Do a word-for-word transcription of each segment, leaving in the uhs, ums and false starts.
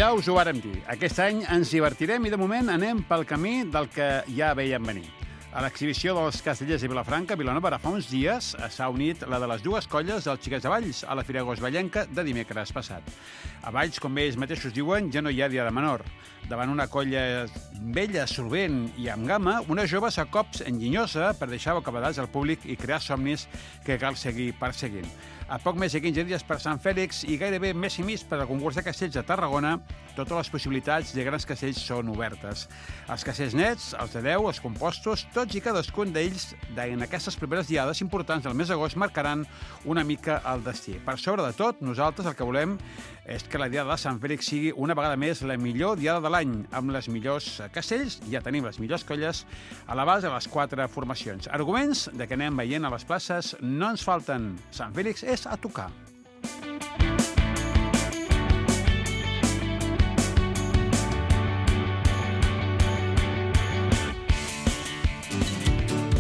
Ja us ho vàrem dir, aquest any ens divertirem i de moment anem pel camí del que ja veiem venir. A l'exhibició dels Castellers de Vilafranca, Vilanova, ara fa uns dies s'ha unit la de les dues colles dels Xiquets de Valls a la Fira Agost Vallenca de dimecres passat. A Valls, com ells mateixos diuen, ja no hi ha dia de menor. Davant una colla vella, solvent i amb gama, una jove a cops enginyosa per deixar bocabadats al públic i crear somnis que cal seguir perseguint. A poc més de quinze dies per Sant Fèlix i gairebé mes i mig per al concurs de castells de Tarragona, totes les possibilitats de grans castells són obertes. Els castells nets, els de deu, els compostos, tots i cadascun d'ells, en aquestes primeres diades importants del mes d'agost, marcaran una mica el destí. Per sobre de tot, nosaltres el que volem és que la diada de Sant Fèlix sigui una vegada més la millor diada de l'any, amb les millors castells, ja tenim les millors colles, a la base de les quatre formacions. Arguments de que anem veient a les places no ens falten. Sant Fèlix és a tocar.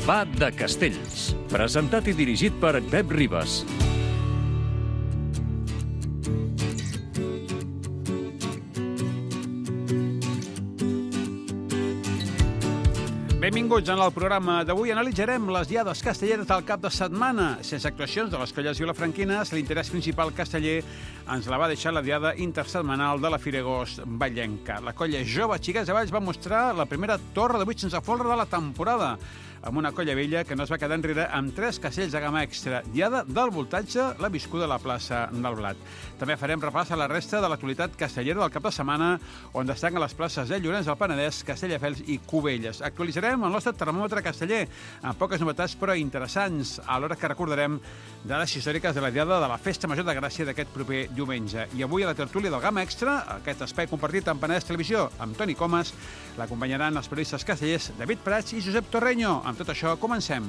Va de Castells, presentat i dirigit per Pep Ribas. Benvinguts en el programa d'avui. Analitzarem les diades castelleres del cap de setmana. Sense actuacions de les colles vilafranquines, l'interès principal casteller ens la va deixar la diada intersetmanal de la Fira Agost Vallenca. La colla jove Xiquets de Valls va mostrar la primera torre de vuit sense folre de la temporada, amb una colla vella que no es va quedar enrere amb tres castells de gamma extra. Diada del voltatge, la viscuda a la plaça del Blat. També farem repàs a la resta de l'actualitat castellera del cap de setmana, on destaquen les places de Llorenç del Penedès, Castelldefels i Cubelles. Actualitzarem el nostre termòmetre casteller, amb poques novetats però interessants, alhora que recordarem dades històriques de la diada de la Festa Major de Gràcia d'aquest proper diumenge. I avui a la tertúlia del Gamma Extra, aquest espai compartit amb Penedès Televisió, amb Toni Comas, l'acompanyaran els periodistes castellers David Prats i Josep Torreño. Amb tot això, comencem.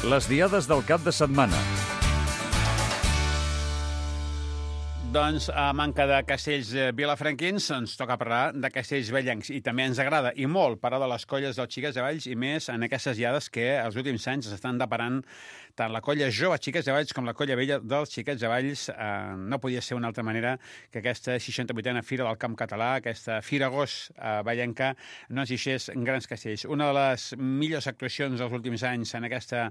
Les diades del cap de setmana. Doncs, a manca de castells vilafranquins, ens toca parlar de castells vellencs. I també ens agrada, i molt, parlar de les colles dels Xiquets de Valls, i més en aquestes diades que els últims anys s'estan deparant tant la colla jove Xiquets de Valls com la colla vella dels Xiquets de Valls. Eh, no podia ser una altra manera que aquesta seixanta-vuitena Fira del Camp Català, aquesta Fira Agost eh, Vallenca, no ens deixés grans castells. Una de les millors actuacions dels últims anys en aquesta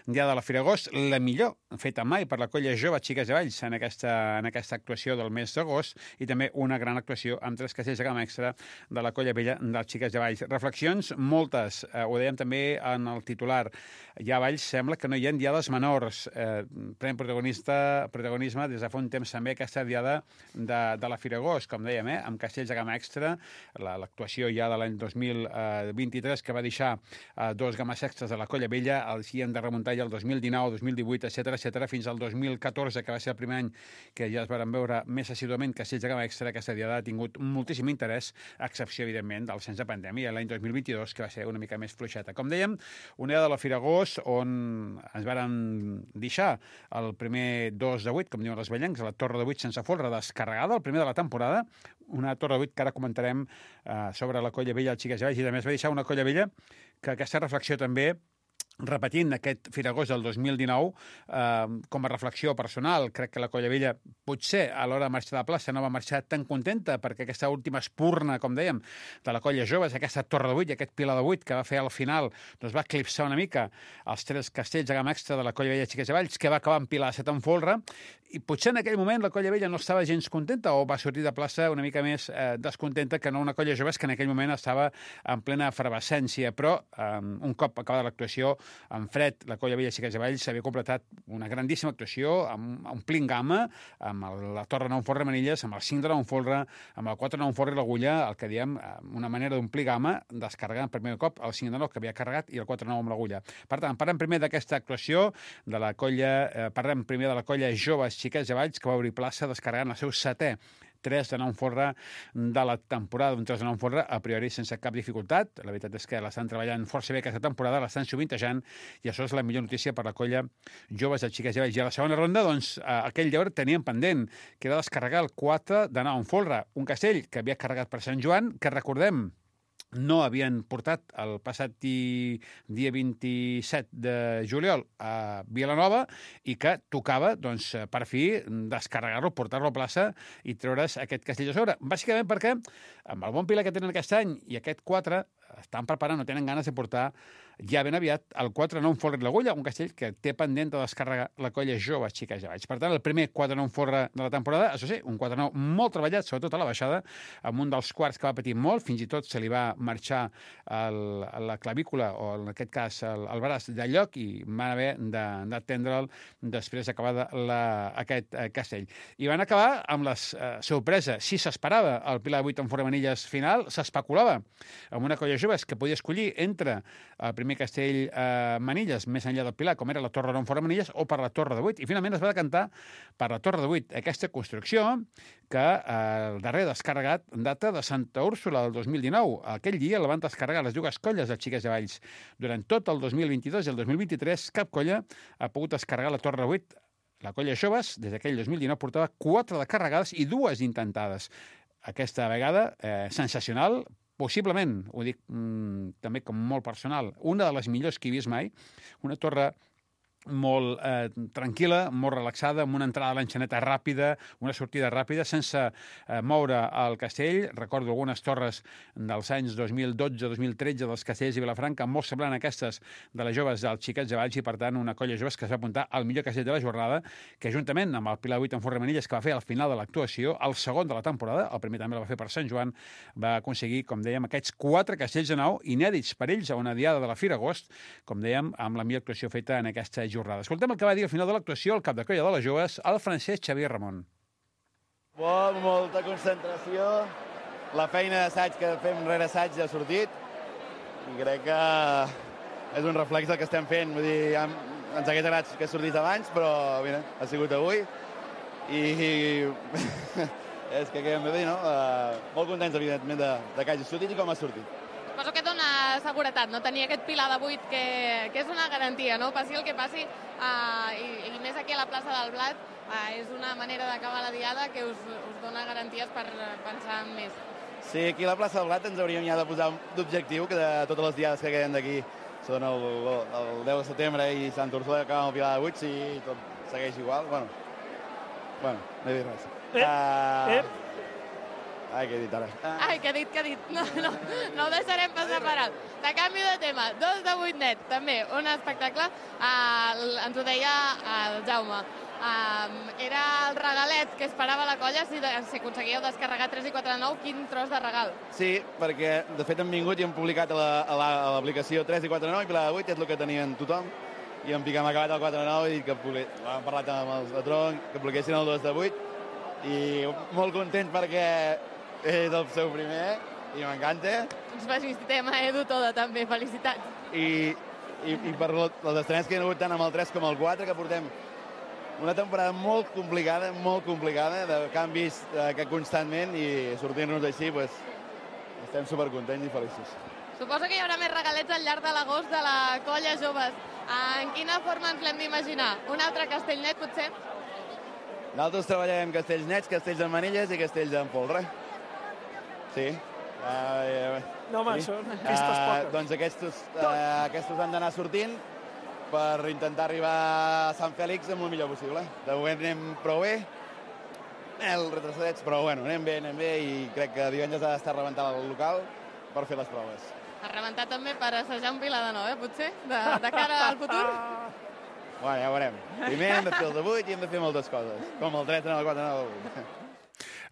diada de la Fira Agost, la millor feta mai per la colla jove Xiquets de Valls en aquesta, en aquesta actuació del mes d'agost, i també una gran actuació amb tres castells de gamma extra de la colla vella dels Xiquets de Valls. Reflexions moltes, eh, ho dèiem també en el titular. Ja a Valls sembla que no hi ha diades menors. Eh, pren protagonista, protagonisme des de fa un temps també aquesta diada de, de la Fira Agost, com dèiem, eh, amb castells de gamma extra, l'actuació ja de l'any dos mil vint-i-tres que va deixar eh, dos games extras de la colla vella, els hi hem de remuntar ja el dos mil dinou, dos mil divuit, etcètera, etcètera, fins al dos mil catorze, que va ser el primer any que ja es van veure més assiduament castells de gamma extra. Aquesta diada ha tingut moltíssim interès, a excepció, evidentment, del cens de pandèmia l'any dos mil vint-i-dos, que va ser una mica més fluixeta. Com dèiem, una diada de la Fira Agost on ens varen deixar el primer dos de vuit, com diuen els vellencs, a la torre de vuit sense folre descarregada, el primer de la temporada, una torre de vuit que ara comentarem eh, sobre la colla vella, els Xiquets de Valls, i també es va deixar una colla vella que aquesta reflexió també, repetint aquest Fira Agost del dos mil dinou, eh, com a reflexió personal, crec que la colla vella potser a l'hora de marxar de la plaça no va marxar tan contenta, perquè aquesta última espurna, com dèiem, de la colla jove, aquesta torre de vuit i aquest pilar de vuit que va fer al final, doncs va eclipsar una mica els tres castells de gamma extra de la colla vella Xiquets de Valls, que va acabar en pilar de set en folre, i potser en aquell moment la colla vella no estava gens contenta o va sortir de plaça una mica més eh, descontenta que no una colla jove que en aquell moment estava en plena efervescència, però eh, un cop acabada l'actuació, en fred, la colla vella Xiquets de Valls s'havia completat una grandíssima actuació amb omplint gamma, amb el, la torre nou folre Manilles, amb el cinc de nou folre, amb el quatre nou folre l'agulla, el que diem una manera d'omplir gamma, descarregant per primer cop el cinc de nou que havia carregat i el quatre nou amb l'agulla. Per tant, parlem primer d'aquesta actuació de la colla, eh, parlem primer de la colla jove Xiquets de Valls, que va obrir plaça descarregant el seu setè tres de nou en folre de la temporada, un tres de nou en folre a priori sense cap dificultat. La veritat és que l'estan treballant força bé aquesta temporada, l'estan sovintejant, i això és la millor notícia per la colla joves de xiques i vells. I a la segona ronda, doncs, aquell deure teníem pendent, que era descarregar el quatre de nou en folre, un castell que havia carregat per Sant Joan, que recordem no havien portat el passat di, dia vint-i-set de juliol a Vilanova i que tocava, doncs, per fi, descarregar-lo, portar-lo a plaça i treure's aquest castell de sobre. Bàsicament perquè, amb el bon pilar que tenen aquest any i aquest quatre, estan preparant, no tenen ganes de portar ja ben aviat el quatre nou en folre de l'Agulla, un castell que té pendent de descarregar la colla jove xiques i valls. Per tant, el primer quatre nou en folre de la temporada, això sí, un quatre nou molt treballat, sobretot a la baixada, amb un dels quarts que va patir molt, fins i tot se li va marxar el, la clavícula, o en aquest cas el, el braç de lloc, i van haver d'atendre'l després d'acabar aquest eh, castell. I van acabar amb la eh, sorpresa. Si s'esperava el pilar de vuit en folre manilles final, s'especulava amb una colla joves que podia escollir entre el primer castell eh, manilles més enllà del pilar, com era la torre nou en folre manilles, o per la torre de vuit. I finalment es va decantar per la torre de vuit. Aquesta construcció que eh, el darrer descarregat data de Santa Úrsula del dos mil dinou. Aquell dia la van descarregar les dues colles de xiques i valls. Durant tot el dos mil vint-i-dos i el dos mil vint-i-tres cap colla ha pogut descarregar la torre de vuit. La colla joves, des d'aquell dos mil dinou, portava quatre de carregades i dues intentades. Aquesta vegada, eh, sensacional, possiblement, ho dic mmm, també com molt personal, una de les millors que he vist mai, una torre molt eh, tranquil·la, molt relaxada, amb una entrada a l'enxaneta ràpida, una sortida ràpida, sense eh, moure el castell. Recordo algunes torres dels anys dos mil dotze dos mil tretze dels castells de Vilafranca, molt semblant a aquestes de les joves dels xiquets de Valls, i per tant una colla joves que es va apuntar al millor castell de la jornada, que juntament amb el Pilar vuit en folre manilles que va fer al final de l'actuació, el segon de la temporada, el primer també el va fer per Sant Joan, va aconseguir, com dèiem, aquests quatre castells de nou inèdits per ells a una diada de la Fira Agost, com dèiem, amb la millor actuació feta en aquesta jornada. Escoltem el que va dir al final de l'actuació el cap de colla de les joves, el francès Xavier Ramon. Bo, molta concentració, la feina d'assaig que fem rere assaig ja ha sortit i crec que és un reflex del que estem fent. Vull dir, ja ens hagués agradat que sortís abans, però mira, ha sigut avui i és que què hem de dir, no? Uh, molt contents, evidentment, de, de que hagi sortit i com ha sortit. Suposo que dona seguretat, no? Tenir aquest pilar de vuit que, que és una garantia, no? Passi el que passi, uh, i, i més aquí a la plaça del Blat, uh, és una manera d'acabar la diada que us, us dona garanties per pensar en més. Sí, aquí a la plaça del Blat ens hauríem ja de posar d'objectiu que de totes les diades que queden d'aquí són el, el deu de setembre i Sant Úrsula, que acaba amb el pilar de vuit, si tot segueix igual, bueno, bueno, no he dit res. Eh, uh, eh. Ai, què he dit ara? Ai, què ha dit, què ha dit? No, no, no ho deixarem passar per alt. De canvi de tema, dos de vuit net, també, un espectacle. Uh, ens ho deia el Jaume. Uh, era el regalet que esperava la colla si, si aconseguíeu descarregar tres i quatre de nou. Quin tros de regal. Sí, perquè de fet hem vingut i hem publicat a l'aplicació tres i quatre de nou i Pilar de vuit, és el que tenien tothom. I en Pic hem acabat el quatre de nou i que hem parlat amb els de Tronc, que publiquessin el dos de vuit. I molt content perquè és el seu primer i m'encanta. Ens felicitem a Edu Toda, també, felicitats. I, i, i per les estrenes que hi ha hagut tant amb el tres com el quatre, que portem una temporada molt complicada, molt complicada, de canvis eh, que constantment, i sortir-nos així, pues, estem supercontents i feliços. Suposo que hi haurà més regalets al llarg de l'agost de la colla joves. En quina forma ens l'hem d'imaginar? Un altre castell net, potser? Nosaltres treballem castells nets, castells en manilles i castells en folre. Sí. Uh, uh, no, home, sí. són aquestes uh, poques. Doncs aquests, uh, aquests han d'anar sortint per intentar arribar a Sant Fèlix amb el millor possible. De moment anem prou bé, el retrocedets, però bueno, anem bé, anem bé, i crec que divendres ha d'estar rebentat el local per fer les proves. A rebentar també per assajar un pilar de nou, eh, potser, de, de cara al futur? Bueno, ja ho veurem. Primer hem de fer el de vuit i hem de fer moltes coses, com el tres, el quatre, el vuit.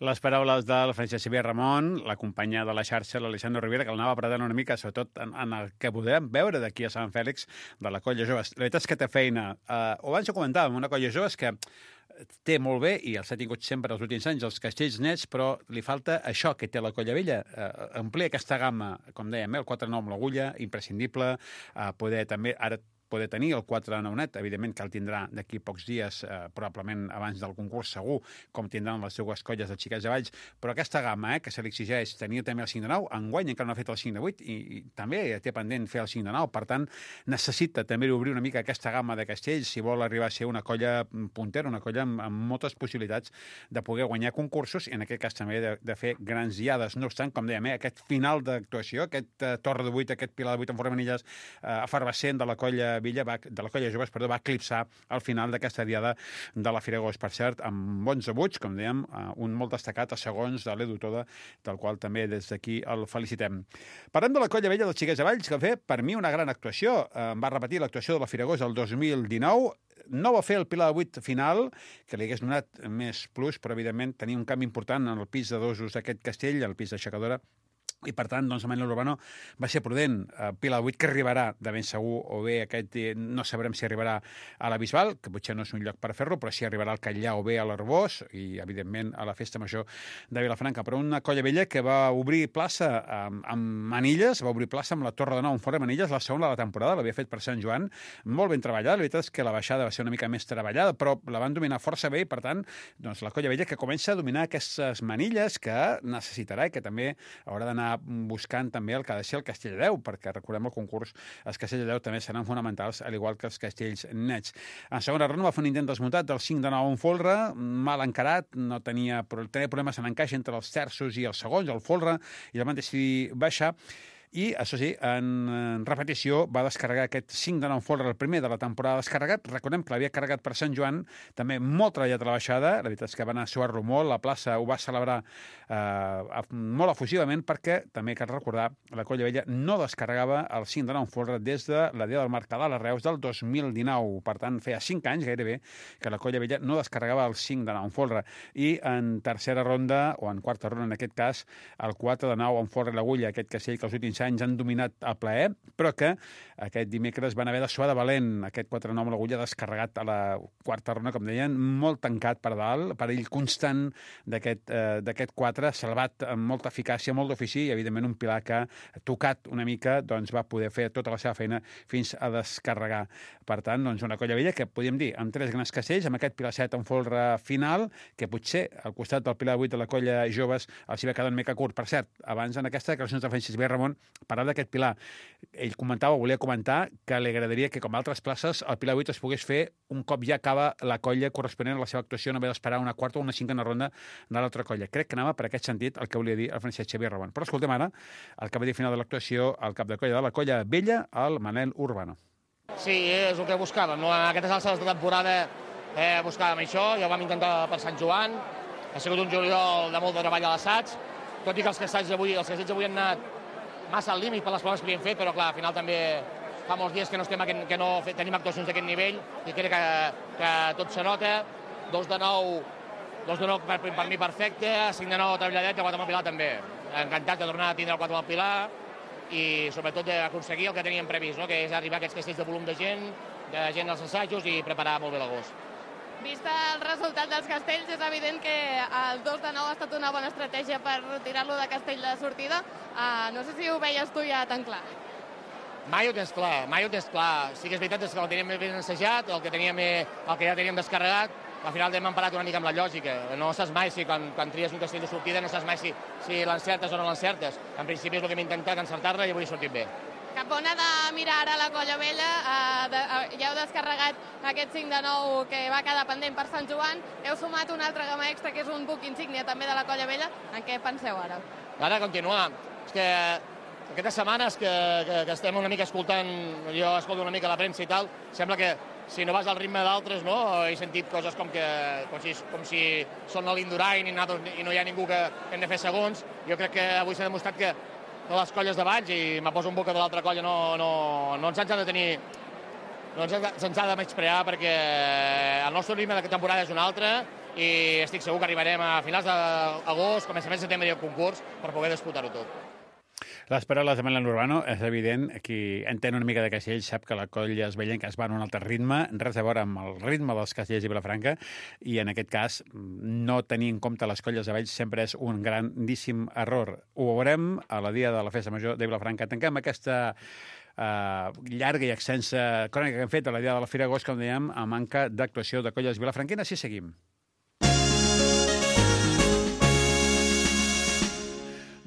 Les paraules del Francesc Xavier Ramon, la companya de la xarxa, l'Alexandre Rivera, que l'anava apretant una mica, sobretot en, en el que podem veure d'aquí a Sant Fèlix, de la colla joves. La veritat és que té feina. Uh, ho abans ho comentàvem, una colla joves que té molt bé, i els ha tingut sempre els últims anys, els castells nets, però li falta això que té la colla vella, uh, amplia aquesta gamma, com dèiem, el quatre nou amb l'agulla, imprescindible, uh, poder també, ara poder tenir el quatre de nou net. Evidentment que el tindrà d'aquí pocs dies, eh, probablement abans del concurs segur, com tindran les seues colles de xiquets de Valls, però aquesta gamma, eh, que se li exigeix tenir també el cinc de nou, enguany encara no ha fet el cinc de vuit i, i també té pendent fer el cinc de nou, per tant, necessita també obrir una mica aquesta gamma de castells si vol arribar a ser una colla puntera, una colla amb, amb moltes possibilitats de poder guanyar concursos i en aquest cas també de, de fer grans diades. No obstant, com dèiem, eh, aquest final d'actuació, aquest uh, torre de vuit, aquest pilar de vuit en forma manilles uh, efervescent de la colla Villa, va, de la colla Joves, perdó, va eclipsar al final d'aquesta diada de la Fira Agost. Per cert, amb bons debuts, com dèiem, uh, un molt destacat a segons de l'Edu Toda, del qual també des d'aquí el felicitem. Parlem de la colla Vella dels Xiquets de Valls, que va fer, per mi, una gran actuació. Uh, va repetir l'actuació de la Fira Agost el dos mil dinou, no va fer el pilar de vuit final, que li hagués donat més plus, però evidentment tenia un canvi important en el pis de dosos d'aquest castell, el pis d'aixecadora, i per tant, doncs, Manel Urbano va ser prudent. Uh, Pilar vuit que arribarà de ben segur, o bé aquest, eh, no sabrem si arribarà a la Bisbal, que potser no és un lloc per fer-lo, però si arribarà al Catllà o bé a l'Arbós, i evidentment a la Festa Major de Vilafranca. Però una colla vella que va obrir plaça amb, amb Manilles, va obrir plaça amb la Torre de Nou en fora de Manilles, la segona de la temporada, l'havia fet per Sant Joan, molt ben treballada. La veritat és que la baixada va ser una mica més treballada, però la van dominar força bé i, per tant, doncs, la colla vella que comença a dominar aquestes Manilles que necessitarà i que també haurà d'anar buscant també el que ha de ser el Castell de Déu, perquè recordem el concurs, els Castells de Déu també seran fonamentals, al igual que els Castells nets. En segona ronda va fer un intent desmuntat del cinc de nou en folre, mal encarat, no tenia, tenia problemes en encaix entre els terços i els segons, el folre, i el van decidir baixar. I, això sí, en repetició va descarregar aquest cinc de nou en folre, el primer de la temporada descarregat. Recordem que l'havia carregat per Sant Joan, també molt treballat a la baixada, la veritat és que va anar a suar-lo molt, la plaça ho va celebrar eh, molt efusivament, perquè també cal recordar, la colla vella no descarregava el cinc de nou en folre des de la dia del Mercadal a Reus del dos mil dinou. Per tant, feia cinc anys gairebé que la colla vella no descarregava el cinc de nou en folre. I en tercera ronda, o en quarta ronda en aquest cas, el quatre de nou en folre l'agulla, aquest castell que els últims anys han dominat a plaer, però que aquest dimecres van haver de suar de valent. Aquest quatre nou amb l'agulla descarregat a la quarta ronda, com deien, molt tancat per dalt, perill constant d'aquest eh, d'aquest quatre, salvat amb molta eficàcia, molt d'ofici, i evidentment un pilar que, tocat una mica, doncs va poder fer tota la seva feina fins a descarregar. Per tant, doncs una colla vella que podíem dir amb tres grans castells, amb aquest pilar set en folre final, que potser al costat del pilar vuit de la colla Joves els hi va quedar una mica curt. Per cert, abans en aquesta declaració de Francisc B. Ramon parlar d'aquest pilar. Ell comentava, volia comentar, que li agradaria que, com altres places, el pilar vuit es pogués fer un cop ja acaba la colla corresponent a la seva actuació, no haver d'esperar una quarta o una cinquena ronda de l'altra colla. Crec que anava per aquest sentit el que volia dir el Francesc Xavier Ramon. Però escoltem ara el que va dir al final de l'actuació el cap de colla de la colla vella, el Manel Urbano. Sí, és el que buscàvem. No? A aquestes alçades de temporada eh, buscàvem això, ja ho vam intentar per Sant Joan, ha sigut un juliol de molt de treball a l'assaig, tot i que els castells avui, els castells avui han anat massa al límit per les proves que havíem fet, però clar, al final també fa molts dies que no, estem, que no tenim actuacions d'aquest nivell i crec que, que tot se nota. Dos de nou, dos de nou per, per mi perfecte, cinc de nou treballadet i quatre amb el Pilar també. Encantat de tornar a tindre el quatre amb el Pilar i sobretot d'aconseguir el que teníem previst, no? Que és arribar a aquests castells de volum de gent, de gent als assajos i preparar molt bé l'agost. Vista el resultat dels castells, és evident que el dos de nou ha estat una bona estratègia per tirar-lo de castell de sortida. Uh, no sé si ho veies tu ja tan clar. Mai ho tens clar, mai ho tens clar. Sí que és veritat és que el teníem ben ensajat, el que, teníem, el que ja teníem descarregat, al final hem emparat una mica amb la lògica. No saps mai si quan, quan tries un castell de sortida no saps mai si, si l'encertes o no l'encertes. En principi és el que hem intentat, encertar-la i avui ha sortit bé. Cap on ha de mirar ara la colla vella? Uh, de, uh, ja heu descarregat aquest cinc de nou que va quedar pendent per Sant Joan. Heu sumat una altra gamma extra, que és un buc insígnia també de la colla vella. En què penseu ara? Ara continuar. És que aquestes setmanes que, que, que estem una mica escoltant, jo escolto una mica la premsa i tal, sembla que si no vas al ritme d'altres, no? He sentit coses com, que, com, si, com si són a l'Indurain i, i no hi ha ningú que hem de fer segons. Jo crec que avui s'ha demostrat que de les colles de Valls, i me poso un boca de l'altra colla, no, no, no ens han de tenir, no ens, ens ha de menysprear, perquè el nostre ritme de temporada és un altre i estic segur que arribarem a finals d'agost, començaments de setembre i el concurs per poder disputar-ho tot. Les paraules de Milan Urbano, és evident, qui entén una mica de castells sap que la colla esvellenca es va en un altre ritme, res a veure amb el ritme dels castells de Vilafranca, i en aquest cas no tenir en compte les colles de Valls sempre és un grandíssim error. Ho veurem a la dia de la Festa Major de Vilafranca. Tanquem aquesta Uh, llarga i extensa crònica que hem fet a la dia de la Fira d'Agost, com dèiem, a manca d'actuació de colles vilafranquines. I seguim.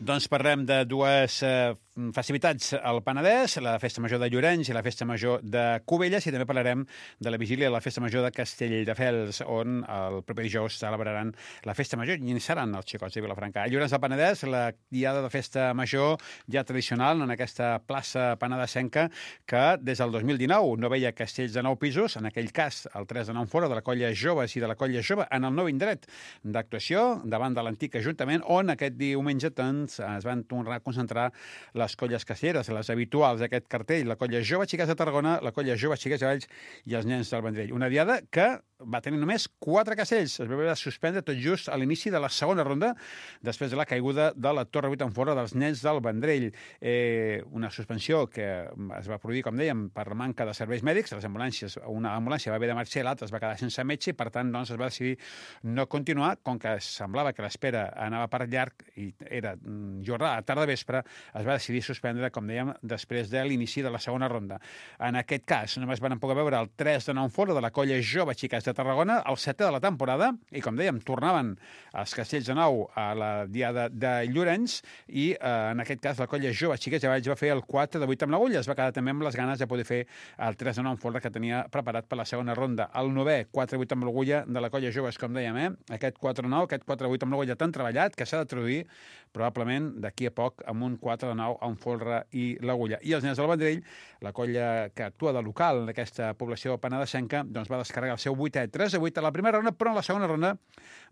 Doncs parlem de dues eh, festivitats al Penedès, la Festa Major de Llorenç i la Festa Major de Cubelles, i també parlarem de la vigília de la Festa Major de Castelldefels, on el proper dijous celebraran la Festa Major i seran els xicots de Vilafranca. A Llorenç del Penedès, la diada de Festa Major ja tradicional en aquesta plaça penedesenca que des del dos mil dinou no veia castells de nou pisos, en aquell cas el tres de nou fora de la colla Joves i de la colla Jove, en el nou indret d'actuació davant de l'antic Ajuntament, on aquest diumenge doncs, es van tornar a concentrar les colles castelleres, les habituals d'aquest cartell, la colla Jove Xiquets de Tarragona, la colla Jove Xiquets de Valls i els nens del Vendrell. Una diada que va tenir només quatre castells. Es va haver de suspendre tot just a l'inici de la segona ronda, després de la caiguda de la Torre vuit en fora dels nens del Vendrell. Eh, una suspensió que es va produir, com dèiem, per manca de serveis mèdics. Les ambulàncies, una ambulància va haver de marxar, l'altra es va quedar sense metge i, per tant, doncs, es va decidir no continuar, com que semblava que l'espera anava per llarg i era jornada a tarda vespre, es va decidir suspendre, com dèiem, després de l'inici de la segona ronda. En aquest cas, només van poder veure el tres de nou fora de la colla Jove Xiquets de Tarragona, el setè de la temporada, i, com dèiem, tornaven els castells de nou a la diada de Llorenç i, eh, en aquest cas, la colla Jove Xiquets de Valls va fer el quatre de vuit amb l'agulla. Es va quedar també amb les ganes de poder fer el tres de nou fora que tenia preparat per la segona ronda. El novè, quatre de vuit amb l'agulla de la colla Joves, com dèiem, eh? Aquest quatre de nou, aquest quatre de vuit amb l'agulla tan treballat que s'ha de traduir probablement d'aquí a poc amb un quatre de nou amb folre i l'agulla. I els nens del Vendrell, la colla que actua de local en aquesta població penedesenca, doncs va descarregar el seu vuitè tres a vuit a la primera ronda, però en la segona ronda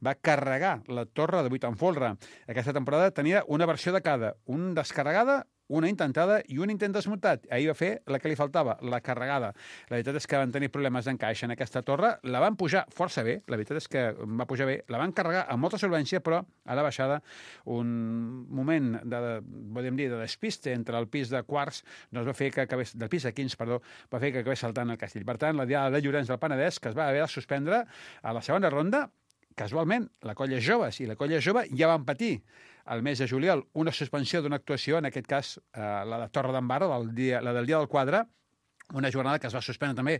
va carregar la torre de vuit en folre. Aquesta temporada tenia una versió de cada, un descarregada, una intentada i un intent desmuntat. Ahir va fer la que li faltava, la carregada. La veritat és que van tenir problemes d'encaix en aquesta torre, la van pujar força bé, la veritat és que va pujar bé, la van carregar amb molta solvència, però a la baixada un moment de, podem dir, de despiste entre el pis de quarts, doncs va fer que acabés, del pis de quinze, perdó, va fer que acabés saltant el castell. Per tant, la diada de Llorenç del Penedès, que es va haver de suspendre a la segona ronda, casualment, la colla Joves i la colla Jove ja van patir el mes de juliol una suspensió d'una actuació, en aquest cas eh, la de Torre d'en Barra, del dia, la del dia del quadre, una jornada que es va suspendre també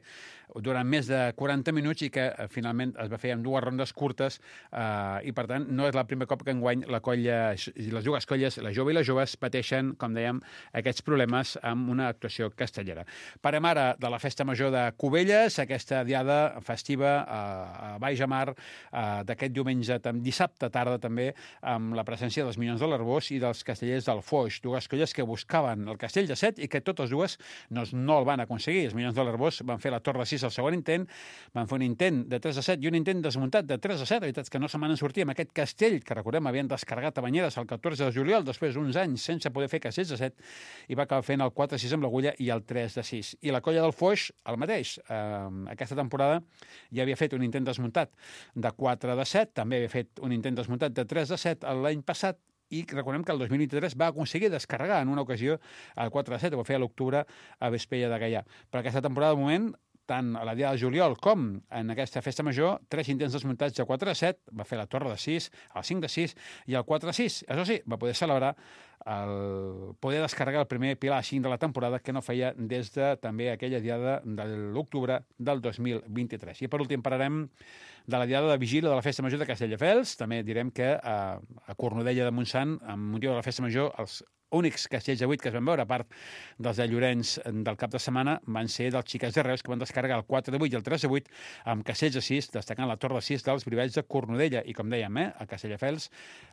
durant més de quaranta minuts i que eh, finalment es va fer en dues rondes curtes eh, i, per tant, no és el primer cop que enguany la colla, les dues colles, la Jove i les Joves, pateixen, com dèiem, aquests problemes amb una actuació castellera. Parem ara de la Festa Major de Cubelles, aquesta diada festiva a, a Baix a Mar eh, d'aquest diumenge, dissabte tarda també, amb la presència dels Minyons de l'Arbós i dels Castellers del Foix, dues colles que buscaven el castell de set i que totes dues doncs, no el van aconseguir. Els Minyons de l'Arbós van fer la torre de sis al segon intent, van fer un intent de tres a set i un intent desmuntat de tres a set. La veritat és que no se'n van sortir amb aquest castell, que recordem havien descarregat a Banyeres el catorze de juliol, després d'uns anys sense poder fer castells de set, i va acabar fent el quatre a sis amb l'agulla i el tres de sis. I la colla del Foix, el mateix. Eh, aquesta temporada ja havia fet un intent desmuntat de quatre de set, també havia fet un intent desmuntat de tres de set l'any passat, i recordem que el dos mil vint-i-tres va aconseguir descarregar en una ocasió el quatre de set, ho va fer a l'octubre a Vespella de Gaià. Per aquesta temporada, de moment, tant a la dia de juliol com en aquesta festa major, tres intents desmuntats de quatre de set, va fer la torre de sis, el cinc de sis i el quatre de sis. Això sí, va poder celebrar el poder descarregar el primer pilar cinc de la temporada que no feia des de també aquella diada de l'octubre del dos mil vint-i-tres. I per últim parlarem de la diada de vigília de la Festa Major de Castelldefels. També direm que a, a Cornudella de Montsant, amb motiu de la Festa Major, els únics castells de vuit que es van veure, a part dels de Llorenç del cap de setmana, van ser dels Xiquets de Reus, que van descarregar el quatre de vuit i el tres de vuit amb castells de sis, destacant la torre de sis dels Brivalls de Cornudella. I, com dèiem, eh, a Castelldefels,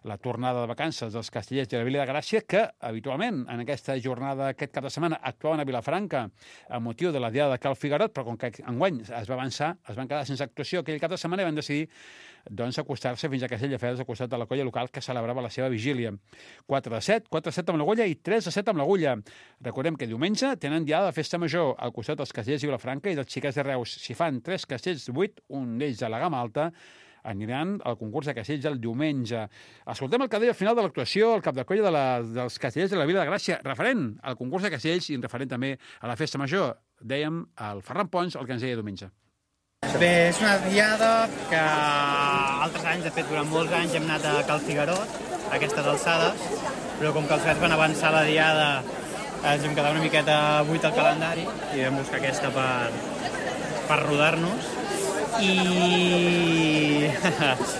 la tornada de vacances dels castellers de la Vila de Gràcia, que habitualment en aquesta jornada, aquest cap de setmana, actuaven a Vilafranca a motiu de la diada de Cal Figarot, però com que enguany es va avançar, es van quedar sense actuació aquell cap de setmana i van decidir doncs acostar-se fins a Castelldefels, al costat de la colla local que celebrava la seva vigília. quatre de set, quatre de set amb l'agulla i tres de set amb l'agulla. Recordem que diumenge tenen diada de Festa Major al costat dels castellers de Vilafranca i dels Xiquets de Reus. Si fan tres castells de vuit, un d'ells de la gamma alta, aniran al concurs de castells el diumenge. Escoltem el que deia al final de l'actuació el cap de colla de la, dels castellers de la Vila de Gràcia, referent al concurs de castells i referent també a la festa major. Dèiem el Ferran Pons el que ens deia diumenge. Bé, és una diada que altres anys, de fet, durant molts anys hem anat a Cal Figuerot, a aquestes alçades, però com que els fets van avançar la diada ens hem quedat una miqueta buit al calendari i vam buscar aquesta per, per rodar-nos. I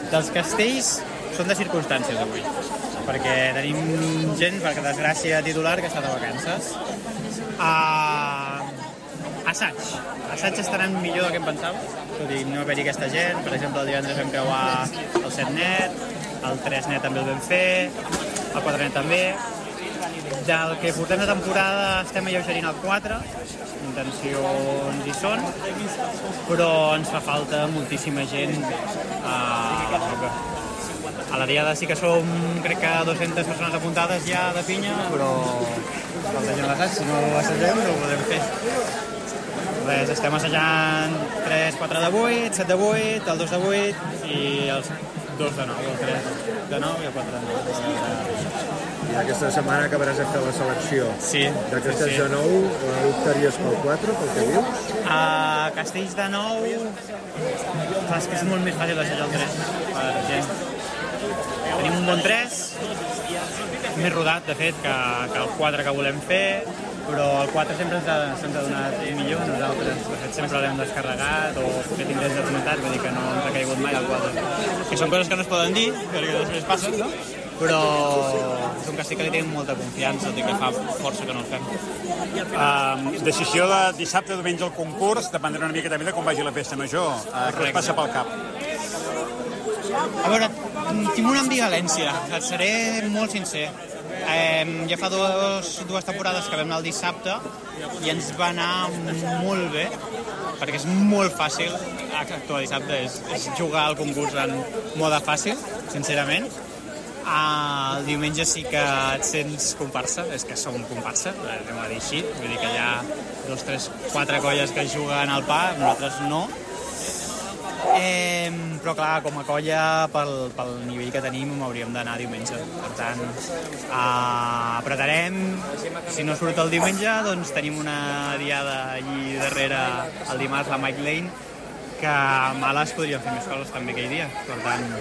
dels castells són de circumstàncies avui, perquè tenim gent, per desgràcia titular, que està de vacances. Uh, assaig. Assaig estaran millor del que em pensava, tot i no haver-hi aquesta gent. Per exemple, el divendres vam creuar el set net, el tres net també el vam fer, el quatre net també. Del que portem de temporada estem alleugerint el quatre, intencions hi són, però ens fa falta moltíssima gent a la roca. A la diada sí que som, crec que dues-centes persones apuntades ja de pinya, però falta gent a l'assaig, si no assagem no ho podem fer. Res, estem assajant tres quatre de vuit, set de vuit, el dos de vuit i els dos de nou, el tres de nou i el quatre de nou. I aquesta setmana acabaràs de fer la selecció. Sí. D'aquestes sí, sí. de nou, optaries pel quatre, pel que dius? A Castells de nou, clar, és que és molt més fàcil assajar el tres per gent. Tenim un bon tres, més rodat, de fet, que, que el quatre que volem fer, però el quatre sempre ens ha, se'ns ha donat millor. Nosaltres, de fet, sempre l'hem descarregat o fet ingrés de tonitat, vull dir que no ens ha caigut mai el quatre. Que són coses que no es poden dir, perquè després passen, no? Però és un castell que li tenim molta confiança, i que fa força que no el fem. Uh, decisió de dissabte o diumenge al concurs dependrà una mica també de com vagi la festa major. Uh, què us passa pel cap? A veure, tinc una ambivalència, et seré molt sincer. Eh, ja fa dos, dues temporades que vam anar el dissabte i ens va anar molt bé, perquè és molt fàcil actuar dissabte, és, és jugar al concurs en mode fàcil, sincerament. Ah, el diumenge sí que et sents comparsa, és que som comparsa, anem a dir així, vull dir que hi ha dos, tres, quatre colles que juguen al pa, nosaltres no. Eh, però clar, com a colla, pel, pel nivell que tenim, hauríem d'anar diumenge. Per tant, eh, apretarem. Si no surt el diumenge, doncs tenim una diada allí darrere el dimarts, la Mike Lane, que a males podríem fer més coses també aquell dia. Per tant,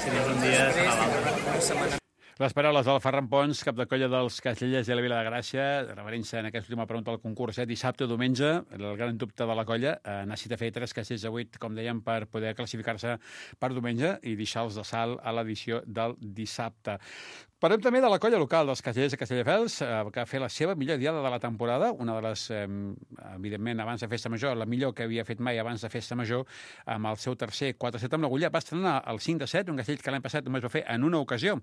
si no és un dia, serà l'altre. Les paraules del Ferran Pons, cap de colla dels castellers de la Vila de Gràcia, referint-se en aquesta última pregunta al concurs, eh? Dissabte o diumenge, el gran dubte de la colla, eh, necessita fer tres castells de vuit, com dèiem, per poder classificar-se per diumenge i deixar-los de salt a l'edició del dissabte. Parlem també de la colla local dels castellers de Castelldefels, eh, que va fer la seva millor diada de la temporada, una de les, eh, evidentment, abans de Festa Major, la millor que havia fet mai abans de Festa Major, amb el seu tercer quatre set amb l'agulla. Va estrenar el cinc de set, un castell que l'any passat només va fer en una ocasió,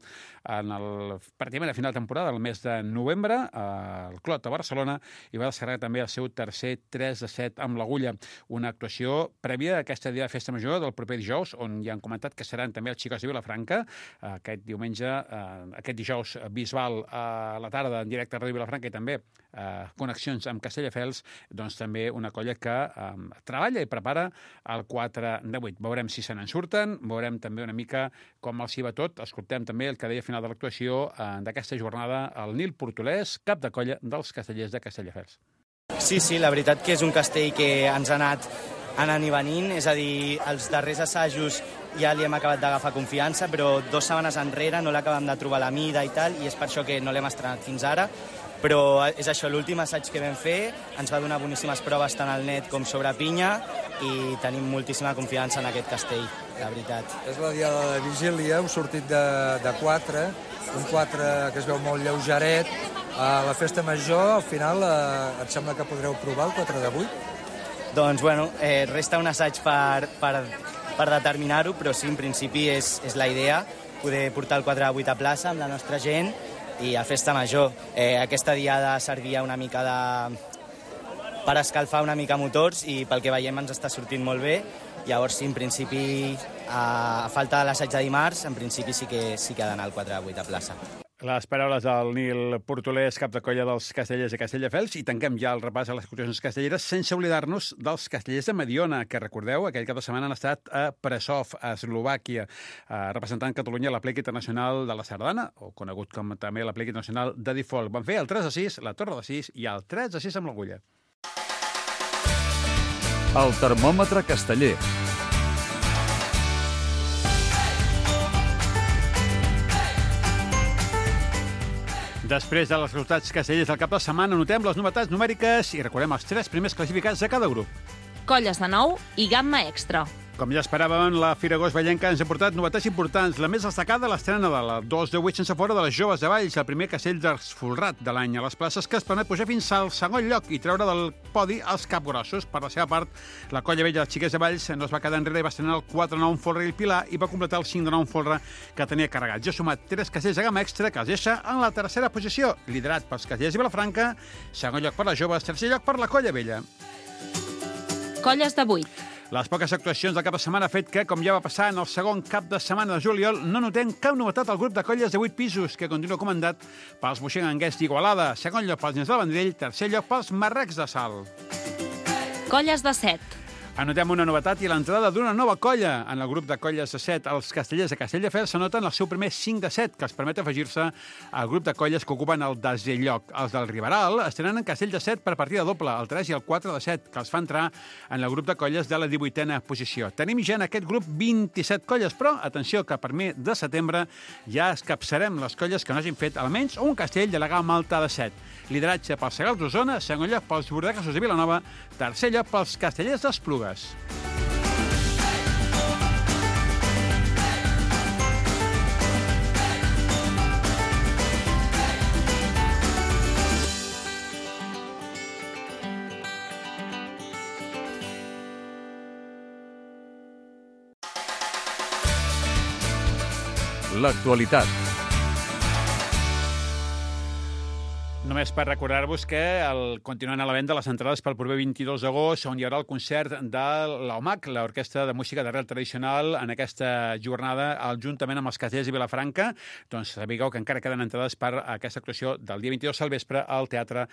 en el, pràcticament a final de temporada, el mes de novembre, al Clot de Barcelona, i va descarregar també el seu tercer tres de set amb l'agulla. Una actuació prèvia a aquesta dia de Festa Major del proper dijous, on ja han comentat que seran també els xicots de Vilafranca, aquest diumenge, aquest aquest dijous Bisbal a la tarda en directe a Ràdio Vilafranca i també eh, connexions amb Castelldefels, doncs també una colla que eh, treballa i prepara el quatre de vuit. Veurem si se n'en surten, veurem també una mica com els hi va tot. Escoltem també el que deia a final de l'actuació eh, d'aquesta jornada el Nil Portolès, cap de colla dels castellers de Castelldefels. Sí, sí, la veritat que és un castell que ens ha anat anant i venint, és a dir, els darrers assajos ja li hem acabat d'agafar confiança, però dues setmanes enrere no l'acabem de trobar la mida i tal, i és per això que no l'hem estrenat fins ara, però és això, l'últim assaig que vam fer ens va donar boníssimes proves tant al net com sobre pinya i tenim moltíssima confiança en aquest castell, la veritat. És la diada de vigília, heu sortit de, de quatre, un quatre que es veu molt lleugeret. A la festa major, al final, eh, et sembla que podreu provar el quatre de vuit? Doncs, bueno, eh, resta un assaig per, per, per determinar-ho, però sí, en principi és, és la idea, poder portar el quatre de vuit a plaça amb la nostra gent i a festa major. Eh, aquesta diada servia una mica de... per escalfar una mica motors i pel que veiem ens està sortint molt bé. Llavors, sí, en principi, a, a falta de l'assaig de dimarts, en principi sí que, sí que ha d'anar el quatre de vuit a plaça. Les paraules del Nil Portolès, cap de colla dels Castellers i Castelldefels, i tanquem ja el repàs a les excursions castelleres sense oblidar-nos dels Castellers de Mediona, que recordeu, aquell cap de setmana han estat a Prešov, a Eslovàquia, eh, representant Catalunya a l'Aplec Internacional de la Sardana, o conegut com també l'Aplec Internacional de Default. Van fer el tres a sis, la torre de sis i el tres a sis amb l'agulla. El termòmetre casteller. Després de els resultats castellers del cap de setmana, notem les novetats numèriques i recordem els tres primers classificats de cada grup. Colles de nou i gamma extra. Com ja esperàvem, la Fira Agost Vallenca ens ha portat novetats importants. La més destacada, l'estrena de la dos de vuit sense fora de les joves de Valls, el primer castell d'Esfolrat de l'any a les places, que es permet pujar fins al segon lloc i treure del podi els capgrossos. Per la seva part, la colla vella dels xiquets de Valls no es va quedar enrere i va estrenar el quatre de nou en folre i el Pilar i va completar el cinc de nou en folre que tenia carregat. Ja ha sumat tres castells de gamma extra que els deixa en la tercera posició, liderat pels castellers i Vilafranca, segon lloc per les joves, tercer lloc per la colla vella. Colles de vuit. Les poques actuacions del cap de setmana ha fet que, com ja va passar en el segon cap de setmana de juliol, no notem cap novetat al grup de colles de vuit pisos, que continua comandat pels boixenganguers d'Igualada, segon lloc pels nens del Vendrell, tercer lloc pels marrecs de Salt. Colles de set. Anotem una novetat i l'entrada d'una nova colla. En el grup de colles de set, els castellers de Castelldefels s'anoten el seu primer cinc de set, que els permet afegir-se al grup de colles que ocupen el desè lloc. Els del Riberal estrenen en castell de set per partida doble, el tres i el quatre de set, que els fa entrar en el grup de colles de la divuitena posició. Tenim ja en aquest grup vint-i-set colles, però atenció que per mi de setembre ja escapçarem les colles que no hagin fet almenys un castell de la gamma alta de set. Lideratge pels Segals d'Osona, segon lloc pels Bordegassos de Vilanova, tercer lloc pels Castellers d'Esplugues. L'actualitat. Només per recordar-vos que el, continuen a la venda les entrades pel proper vint-i-dos d'agost, on hi haurà el concert de l'O M A C, l'Orquestra de Música d'Arrel Tradicional, en aquesta jornada, juntament amb els Castellers i Vilafranca. Doncs sabeu que encara queden entrades per aquesta actuació del dia vint-i-dos al vespre al Teatre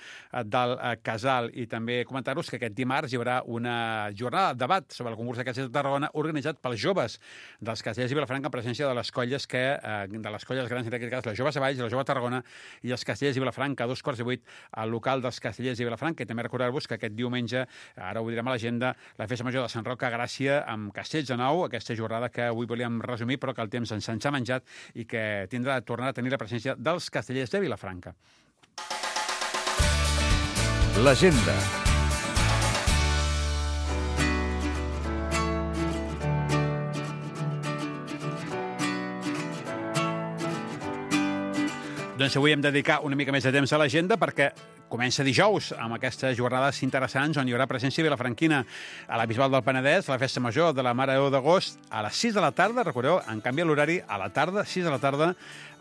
del Casal. I també comentar-vos que aquest dimarts hi haurà una jornada de debat sobre el concurs de Castellers de Tarragona organitzat pels joves dels Castellers i Vilafranca en presència de les colles que, de les colles grans, en aquest cas, les joves de Valls, la jove de Tarragona i els Castellers i Vilafranca, dos quarts i vuit al local dels Castellers i Vilafranca. I també recordar-vos que aquest diumenge, ara ho direm a l'agenda, la Festa Major de Sant Roc a Gràcia amb castells de nou, aquesta jornada que avui volíem resumir però que el temps ens ha menjat i que tindrà tornar a tenir la presència dels Castellers de Vilafranca. L'agenda. Doncs avui hem de dedicar una mica més de temps a l'agenda perquè comença dijous amb aquestes jornades interessants on hi haurà presència vilafranquina a la Bisbal del Penedès, la Festa Major de la Mare de Déu d'Agost a les sis de la tarda, recordeu, en canvi l'horari a la tarda, sis de la tarda,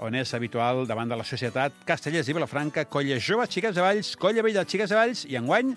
on és habitual davant de la societat Castellers i Vilafranca, colla jove, xiques de Valls, colla vella, xiques de Valls, i enguany,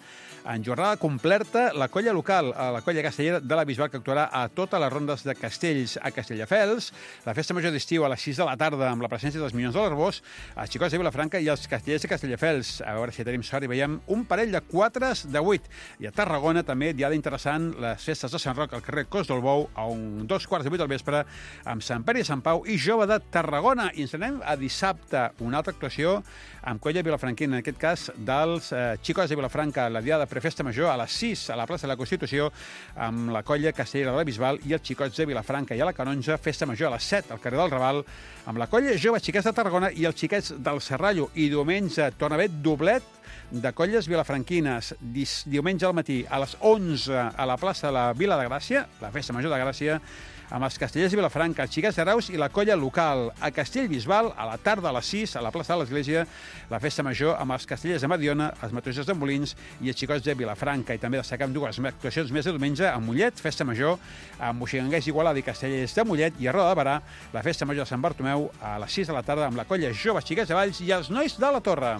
en jornada completa, la colla local, la colla castellera de la Bisbal, que actuarà a totes les rondes de castells a Castelldefels, la Festa Major d'estiu a les sis de la tarda amb la presència dels Minyons de l'Arbós, els xicots de Vilafranca i els castellers de Castelldefels. A veure si tenim sort i veiem un parell de quatres de vuit. I a Tarragona també diada interessant les festes de Sant Roc al carrer Cos del Bou a un dos quarts de vuit al vespre amb Sant Pere i Sant Pau i Jove de Tarragona. I ens anem a dissabte, una altra actuació amb colla vilafranquina, en aquest cas dels eh, xicots de Vilafranca, la diada prefesta major a les sis a la plaça de la Constitució amb la colla castellera de la Bisbal i els xicots de Vilafranca. I a la Canonja, festa major a les set al carrer del Raval amb la colla jove xiquets de Tarragona i els xiquets del Serrallo. I diumenge torna a haver doblet de colles vilafranquines. Diumenge al matí a les onze a la plaça de la Vila de Gràcia, la festa major de Gràcia, amb els castellers de Vilafranca, els xiquets de Reus i la colla local. A Castellbisbal, a la tarda a les sis, a la plaça de l'Església, la festa major amb els castellers de Mediona, els mateixos de Molins i els xicots de Vilafranca. I també destacam dues actuacions més de diumenge a Mollet, festa major, amb moixigangers d'Igualada i castellers de Mollet, i a Roda de Barà, la festa major de Sant Bartomeu, a les sis de la tarda amb la colla joves xiquets de Valls i els nois de la Torre.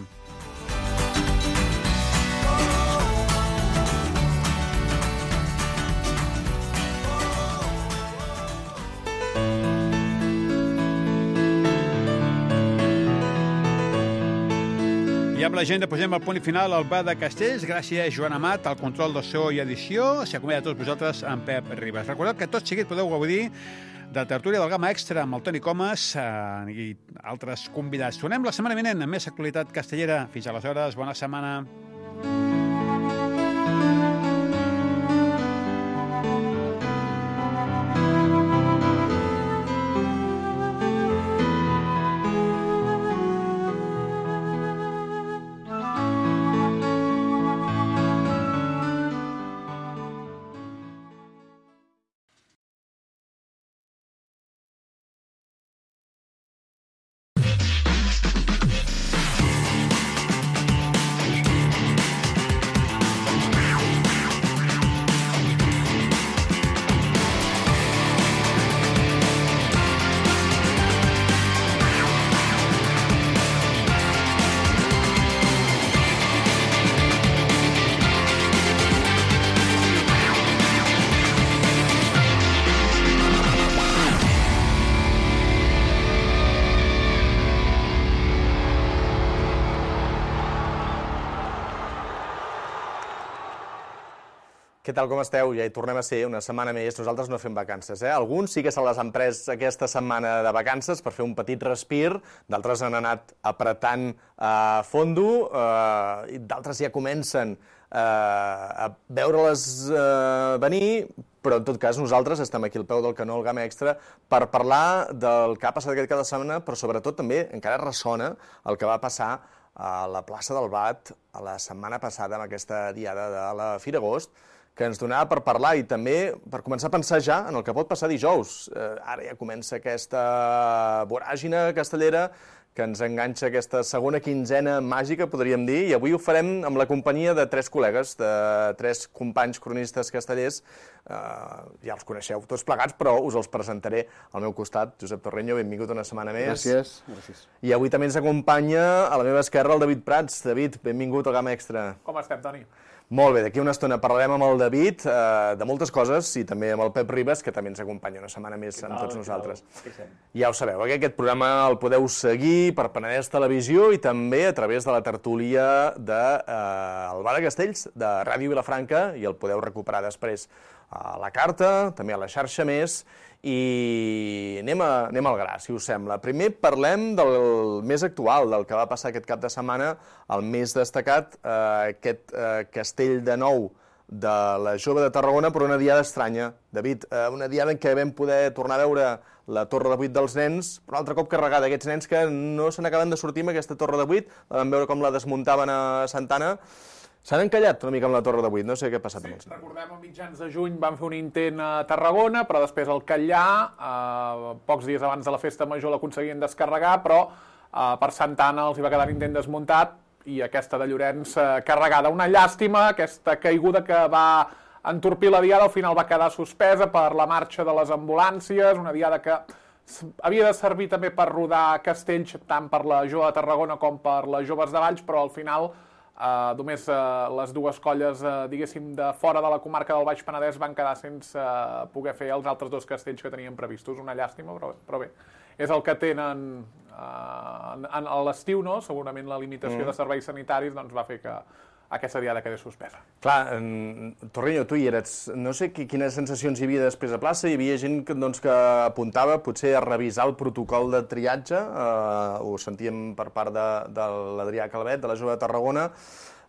amb la gent posem el punt i final al bar de Castells. Gràcies, Joan Amat, al control de so i edició. S'acomiada a tots vosaltres amb Pep Ribas. Recordeu que tot seguit podeu gaudir de la tertúlia del Gamma Extra amb el Toni Comas eh, i altres convidats. Tornem la setmana vinent amb més actualitat castellera. Fins aleshores, bona setmana. Què tal, com esteu? Ja hi tornem a ser una setmana més. Nosaltres no fem vacances, eh? Alguns sí que se les han pres aquesta setmana de vacances per fer un petit respir, d'altres han anat apretant a fondo, eh, i d'altres ja comencen eh, a veure-les eh, venir, però en tot cas nosaltres estem aquí al peu del canó, al Gamma Extra, per parlar del que ha passat aquest cada setmana, però sobretot també encara ressona el que va passar a la plaça del Bat a la setmana passada amb aquesta diada de la Fira Agost, que ens donava per parlar i també per començar a pensar ja en el que pot passar dijous. Eh, ara ja comença aquesta voràgina castellera que ens enganxa aquesta segona quinzena màgica, podríem dir, i avui ho farem amb la companyia de tres col·legues, de tres companys cronistes castellers. Eh, ja els coneixeu tots plegats, però us els presentaré al meu costat. Josep Torreño, benvingut una setmana més. Gràcies. Gràcies. I avui també ens acompanya a la meva esquerra el David Prats. David, benvingut al Gamma Extra. Com estem, Toni? Molt bé, d'aquí una estona parlarem amb el David eh, de moltes coses i també amb el Pep Ribas, que també ens acompanya una setmana més amb tots nosaltres. Ja ho sabeu, eh? Aquest programa el podeu seguir per Penedès Televisió i també a través de la tertúlia de eh, el Bar de Castells, de Ràdio Vilafranca, i el podeu recuperar després a la carta, també a la xarxa més, i anem, a, anem al gra, si us sembla. Primer parlem del més actual, del que va passar aquest cap de setmana, el més destacat, eh, aquest eh, castell de nou de la Jove de Tarragona, però una diada estranya. David, eh, una diada en què vam poder tornar a veure la Torre de Vuit dels nens, però un altre cop carregada, aquests nens que no se n'acaben de sortir amb aquesta Torre de Vuit, la vam veure com la desmuntaven a Santana. S'han encallat una mica amb la Torre de Vuit, no sé què ha passat amb els nens. Recordem, a mitjans de juny van fer un intent a Tarragona, però després al Catllà, eh, pocs dies abans de la festa major l'aconseguien descarregar, però eh, per Santana els hi va quedar l'intent desmuntat i aquesta de Llorenç eh, carregada. Una llàstima, aquesta caiguda que va entorpir la diada, al final va quedar suspesa per la marxa de les ambulàncies, una diada que havia de servir també per rodar castells, tant per la Jove de Tarragona com per les Joves de Valls, però al final Uh, només uh, les dues colles, uh, diguéssim, de fora de la comarca del Baix Penedès van quedar sense uh, poder fer els altres dos castells que tenien previstos. Una llàstima, però, però bé, és el que tenen uh, en, en, a l'estiu, no? Segurament la limitació mm. de serveis sanitaris doncs, va fer que aquesta diada quedés suspesa. Clar, en... Torreño, tu hi eres. No sé quines sensacions hi havia després a plaça. Hi havia gent que, doncs, que apuntava potser a revisar el protocol de triatge. Eh, ho sentíem per part de, de l'Adrià Calvet, de la Jove de Tarragona.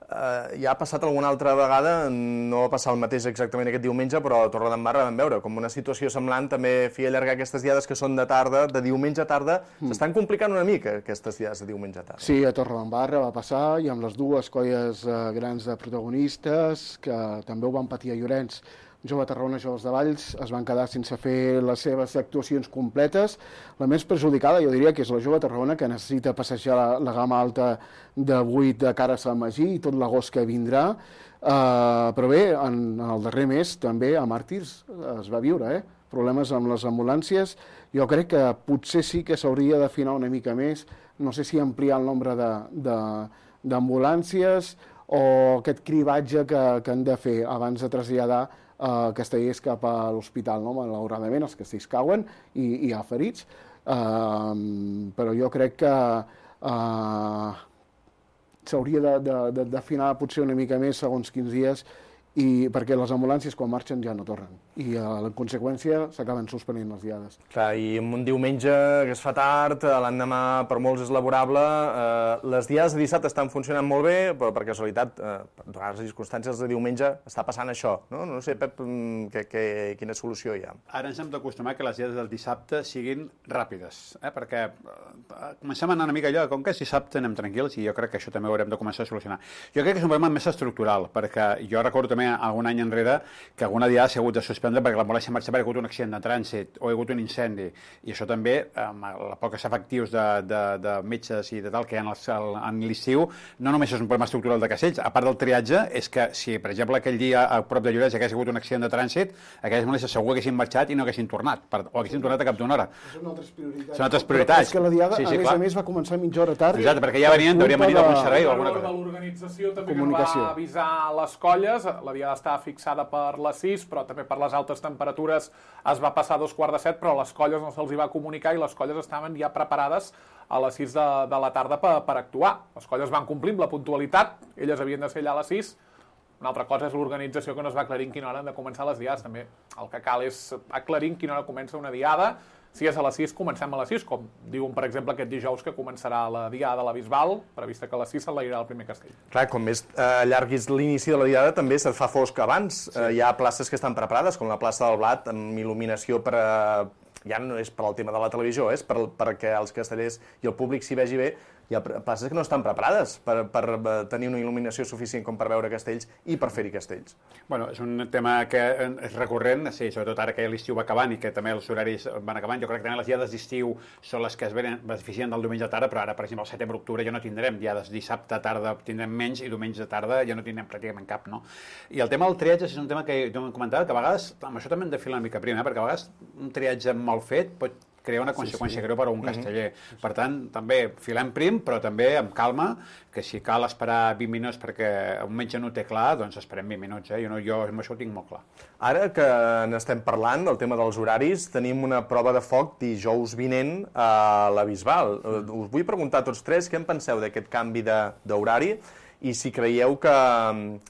Eh, ja ha passat alguna altra vegada, no va passar el mateix exactament aquest diumenge, però a Torredembarra vam veure com una situació semblant també feia allargar aquestes diades que són de tarda, de diumenge a tarda. Mm. S'estan complicant una mica aquestes diades de diumenge a tarda. Sí, a Torredembarra va passar, i amb les dues colles eh, grans de protagonistes, que també ho van patir a Llorenç, Jove de Tarragona i Joves de Valls, es van quedar sense fer les seves actuacions completes. La més perjudicada, jo diria, que és la Jove de Tarragona, que necessita passejar la, la gamma alta de vuit de cara a Sant Magí i tot l'agost que vindrà. Uh, però bé, en, en el darrer mes també a Màrtirs es va viure, eh? Problemes amb les ambulàncies. Jo crec que potser sí que s'hauria d'afinar una mica més, no sé si ampliar el nombre d'ambulàncies o aquest cribatge que, que han de fer abans de traslladar Uh, castellers cap a l'hospital, no? Malauradament els castells cauen i, i hi ha ferits, uh, però jo crec que uh, s'hauria d'afinar potser una mica més segons quins dies, i perquè les ambulàncies quan marxen ja no tornen i en conseqüència s'acaben suspenint les diades. Clar, i un diumenge que es fa tard, l'endemà per molts és laborable, eh, les diades de dissabte estan funcionant molt bé, però per casualitat, eh, per les circumstàncies de diumenge està passant això, no? No sé, Pep, que, que, quina solució hi ha. Ara ens hem d'acostumar que les diades del dissabte siguin ràpides, eh? perquè eh, comencem a anar una mica allò, com que és dissabte anem tranquils i jo crec que això també ho haurem de començar a solucionar. Jo crec que és un problema més estructural, perquè jo recordo també algun any enrere que alguna diada s'ha hagut de suspendre perquè l'ambulància marxava perquè ha hagut un accident de trànsit o ha hagut un incendi. I això també, amb els pocs efectius de, de, de metges i de tal que hi ha en l'estiu, no només és un problema estructural de Castells, a part del triatge, és que si, per exemple, aquell dia a prop de Lloret hagués hagut un accident de trànsit, aquelles ambulàncies segur haguessin marxat i no haguessin tornat, o haguessin tornat a cap d'una hora. Són altres prioritats. Són altres prioritats. Però és que la diada, sí, sí, a més clar. a més, va començar mitja hora tard. Exacte, perquè ja venien, deurien venir d'algun servei o alguna cosa. De l'organització també que va avisar les colles, la diada estava fixada per les sis, però també per les altes temperatures es va passar a dos quarts de set, però a les colles no se'ls va comunicar i les colles estaven ja preparades a les sis de, de la tarda per, per actuar. Les colles van complir amb la puntualitat, elles havien de ser allà a les sis. Una altra cosa és l'organització que no es va aclarir en quina hora han de començar les diades. També el que cal és aclarir en quina hora comença una diada. Si és a les sis, comencem a les sis, com diuen, per exemple, aquest dijous que començarà la diada de la Bisbal, prevista que a les sis s'enlairà el primer castell. Clar, com més eh, llarguis l'inici de la diada, també se't fa fosc abans. Sí. Eh, hi ha places que estan preparades, com la plaça del Blat, amb il·luminació per a... ja no és per al tema de la televisió, és per, perquè els castellers i el públic s'hi vegi bé. Hi ha places que no estan preparades per, per tenir una il·luminació suficient com per veure castells i per fer-hi castells. Bueno, és un tema que és recurrent, sí, sobretot ara que l'estiu va acabant i que també els horaris van acabant. Jo crec que també les diades d'estiu són les que es beneficien del diumenge de tarda, però ara, per exemple, el setembre-octubre ja no tindrem diades dissabte tarda, tindrem menys, i diumenge de tarda ja no tindrem pràcticament cap, no? I el tema del triatge és un tema que jo m'he comentat, que a vegades, amb això també hem de filar una mica prim, eh? perquè a vegades un triatge mal fet pot crear una conseqüència sí, sí. greu per a un casteller. Mm-hmm. Per tant, també filem prim, però també amb calma, que si cal esperar vint minuts perquè un metge no té clar, doncs esperem vint minuts. Eh? Jo, no, jo amb això ho tinc molt clar. Ara que n'estem parlant del tema dels horaris, tenim una prova de foc dijous vinent a la Bisbal. Mm. Us vull preguntar a tots tres què en penseu d'aquest canvi d'horari i si creieu que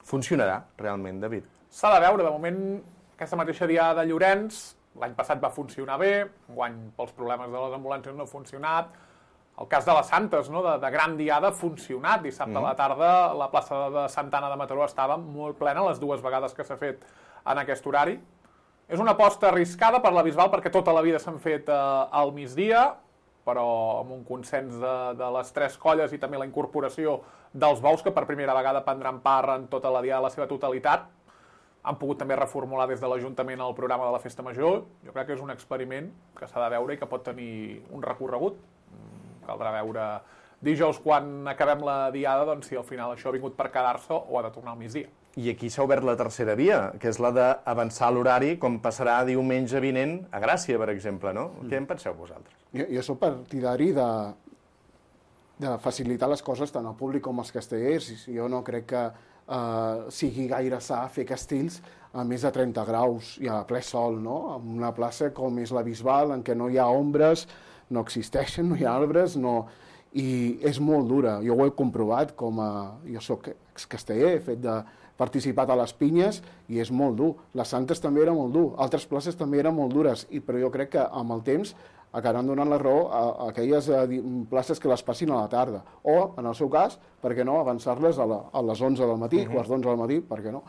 funcionarà realment, David. S'ha de veure, de moment, aquesta mateixa diada de Llorenç, l'any passat va funcionar bé, enguany pels problemes de les ambulàncies no ha funcionat. El cas de les Santes, no? de, de gran diada, ha funcionat. Dissabte mm. a la tarda la plaça de Santa Anna de Mataró estava molt plena les dues vegades que s'ha fet en aquest horari. És una aposta arriscada per la Bisbal perquè tota la vida s'han fet eh, al migdia, però amb un consens de, de les tres colles i també la incorporació dels bous que per primera vegada prendran part en tota la diada de la seva totalitat. Han pogut també reformular des de l'Ajuntament el programa de la Festa Major. Jo crec que és un experiment que s'ha de veure i que pot tenir un recorregut. Caldrà veure dijous, quan acabem la diada, doncs, si al final això ha vingut per quedar-se o ha de tornar al migdia. I aquí s'ha obert la tercera via, que és la d'avançar l'horari, com passarà diumenge vinent a Gràcia, per exemple, no? Mm. Què en penseu vosaltres? Jo, jo soc partidari de, de facilitar les coses tant al públic com als castellers. Jo no crec que Uh, sigui gaire sa fer castells a més de trenta graus i a ple sol, no? En una plaça com és la Bisbal, en què no hi ha ombres, no existeixen, no hi ha arbres, no... i és molt dura. Jo ho he comprovat, com a... jo soc excasteller, he fet de participat a les pinyes i és molt dur. Les Santes també era molt dur, altres places també eren molt dures, i, però jo crec que amb el temps acabaran donant la raó a, a aquelles a, places que les passin a la tarda. O, en el seu cas, per què no, avançar-les a, la, a les onze del matí, uh-huh. quarts d'onze del matí, per què no?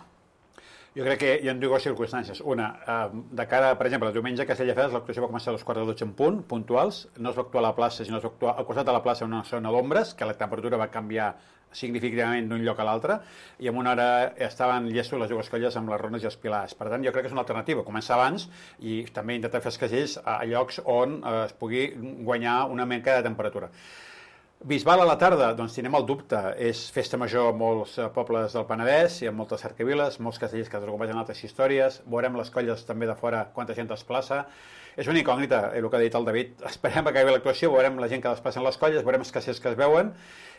Jo crec que hi ha dues circumstàncies. Una, eh, de cara, per exemple, el diumenge a Castelldefels l'actuació va començar a les quatre de dotze en punt, puntuals, no es va actuar a la plaça, sinó es va actuar al costat de la plaça en una zona d'ombres, que la temperatura va canviar significativament d'un lloc a l'altre, i en una hora estaven llestos les dues colles amb les rones i els pilars. Per tant, jo crec que és una alternativa, començar abans i també intentar fer els castells a llocs on eh, es pugui guanyar una mica de temperatura. Bisbal a la tarda, doncs tenim el dubte. És festa major a molts pobles del Penedès, hi ha moltes cercaviles, molts castellers que es recompen altres històries, veurem les colles també de fora quanta gent es plaça. És una incògnita, el que ha dit el David. Esperem que acabi l'actuació, veurem la gent que desplaça en les colles, veurem els castellers que es veuen,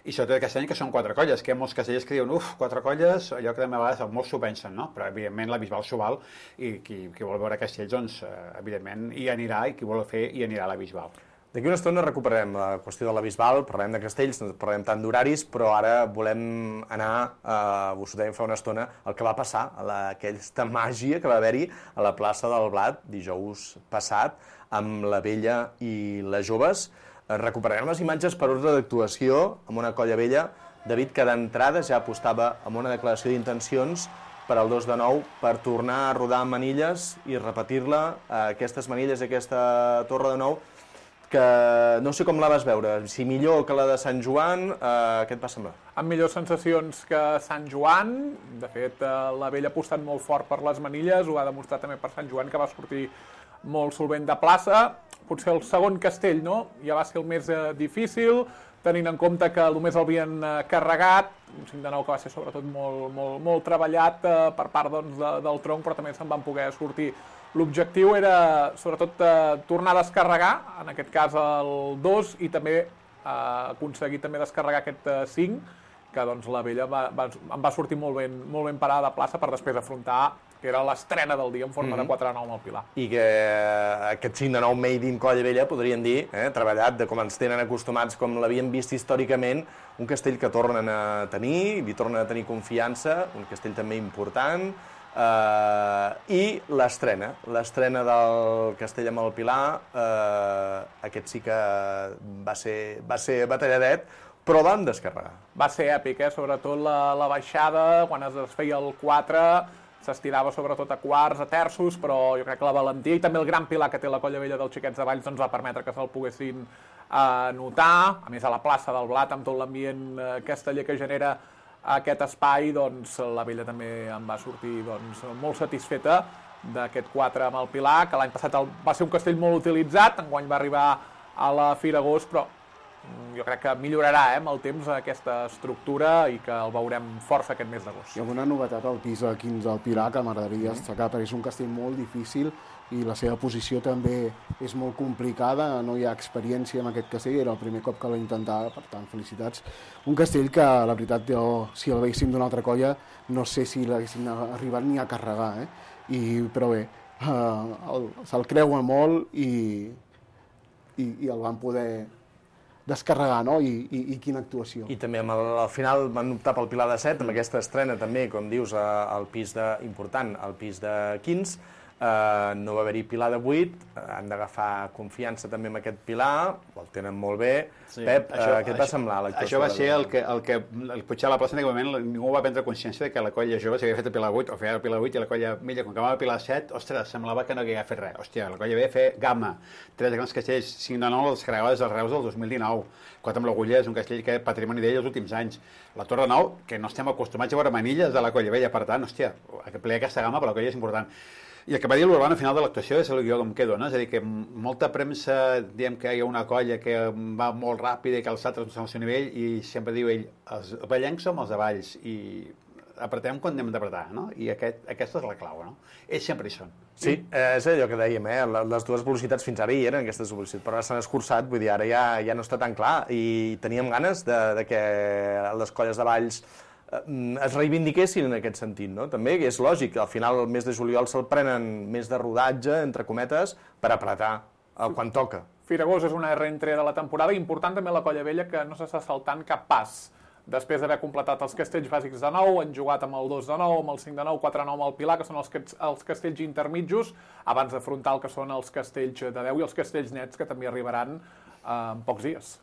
i sobretot aquest any que són quatre colles, que hi ha molts castellers que diuen, uf, quatre colles, allò que també a vegades molts s'ho pensen, no? Però evidentment la Bisbal s'ho val, i qui, qui vol veure castells, doncs, evidentment, hi anirà, i qui vol fer, hi anirà a la Bisbal. D'aquí una estona recuperarem la qüestió de la Bisbal, parlem de castells, no parlem tant d'horaris, però ara volem anar, eh, us ho dèiem fa una estona, el que va passar, a la, aquesta màgia que va haver-hi a la plaça del Blat dijous passat, amb la Vella i les joves. Eh, recuperarem les imatges per ordre d'actuació amb una colla vella. David, que d'entrada ja apostava amb una declaració d'intencions per al dos de nou, per tornar a rodar manilles i repetir-la, eh, aquestes manilles, aquesta torre de nou, que no sé com la vas veure, si millor que la de Sant Joan, eh, què et va semblar? Amb millors sensacions que Sant Joan, de fet eh, la Vella ha apostat molt fort per les manilles, ho ha demostrat també per Sant Joan, que va sortir molt solvent de plaça. Potser el segon castell, no?, ja va ser el més eh, difícil, tenint en compte que només l'havien eh, carregat, un cinc de nou que va ser sobretot molt, molt, molt treballat eh, per part doncs, de, del tronc, però també se'n van poder sortir. L'objectiu era, sobretot, eh, tornar a descarregar, en aquest cas el dos, i també eh, aconseguir també descarregar aquest eh, cinc, que doncs, la Vella va, va, em va sortir molt ben, molt ben parada de plaça per després afrontar, que era l'estrena del dia en forma mm-hmm. de quatre a nou amb el Pilar. I que aquest cinc de nou made in Colla Vella, podríem dir, eh, treballat de com ens tenen acostumats, com l'havien vist històricament, un castell que tornen a tenir, li tornen a tenir confiança, un castell també important, Uh, i l'estrena, l'estrena del castell amb el Pilar, uh, aquest sí que va ser, va ser batalladet, però van descarregar. Va ser èpic, eh? Sobretot la, la baixada, quan es desfeia el quatre, s'estirava sobretot a quarts, a terços, però jo crec que la valentia i també el gran pilar que té la Colla Vella dels Xiquets de Valls doncs va permetre que se'l poguessin uh, notar, a més a la plaça del Blat, amb tot l'ambient uh, casteller que genera aquest espai, doncs la Vella també em va sortir doncs, molt satisfeta d'aquest quatre amb el Pilar, que l'any passat el, va ser un castell molt utilitzat, enguany va arribar a la Fira Agost, però jo crec que millorarà eh, amb el temps aquesta estructura i que el veurem força aquest mes d'agost. Hi ha una novetat al pis de quinze del Pilar que m'agradaria destacar, perquè és un castell molt difícil i la seva posició també és molt complicada, no hi ha experiència en aquest castell, era el primer cop que l'he intentat, per tant, felicitats. Un castell que, la veritat, jo, si el veiéssim d'una altra colla, no sé si l'haguessin arribat ni a carregar, eh? I, però bé, uh, se'l creuen molt i, i, i el van poder descarregar, no? I, i, i quina actuació. I també el, al final van optar pel Pilar de set, amb aquesta estrena també, com dius, al pis de, important, al pis de quinze, Uh, no va haver-hi Pilar de vuit, uh, han d'agafar confiança també amb aquest Pilar, el tenen molt bé. Sí. Pep, això, uh, què et va semblar l'actuació? Això va ser el que, el que el potser a la plaça en aquell moment ningú va prendre consciència de que la colla jove s'havia fet el Pilar vuit, o feia el Pilar vuit i la colla mitja, quan acabava el Pilar set, ostres, semblava que no havia fet res. Hòstia, la colla ve a fer gamma, tres grans castells, cinc de nou les descarregades dels Reus del dos mil dinou, quatre amb l'Agulla, és un castell que és patrimoni d'ell els últims anys. La Torre nou, que no estem acostumats a veure manilles de la colla vella, per tant, hòstia, ple aquesta gamma per la colla és important. I el que va dir l'Urban al final de l'actuació és el que jo em quedo, no? És a dir, que molta premsa diem que hi ha una colla que va molt ràpida i que els altres no estan al seu nivell, i sempre diu ell, els ballencs som els de Valls i apretem quan anem d'apretar, no? I aquest, aquesta és la clau, no? Ells sempre hi són. Sí, eh, és allò que dèiem, eh? Les dues velocitats fins ara hi eren, aquestes velocitats, però ara s'han escurçat, vull dir, ara ja, ja no està tan clar, i teníem ganes de, de que les colles de Valls es reivindiquessin en aquest sentit, no? També és lògic, al final el mes de juliol se'l prenen més de rodatge, entre cometes, per apretar quan toca. Fira Agost és una reentrée de la temporada, important també la Colla Vella, que no s'està saltant cap pas. Després d'haver completat els castells bàsics de nou, han jugat amb el dos de nou, amb el cinc de nou, quatre de nou amb el Pilar, que són els, els castells intermitjos, abans d'afrontar el que són els castells de deu i els castells nets, que també arribaran eh, en pocs dies.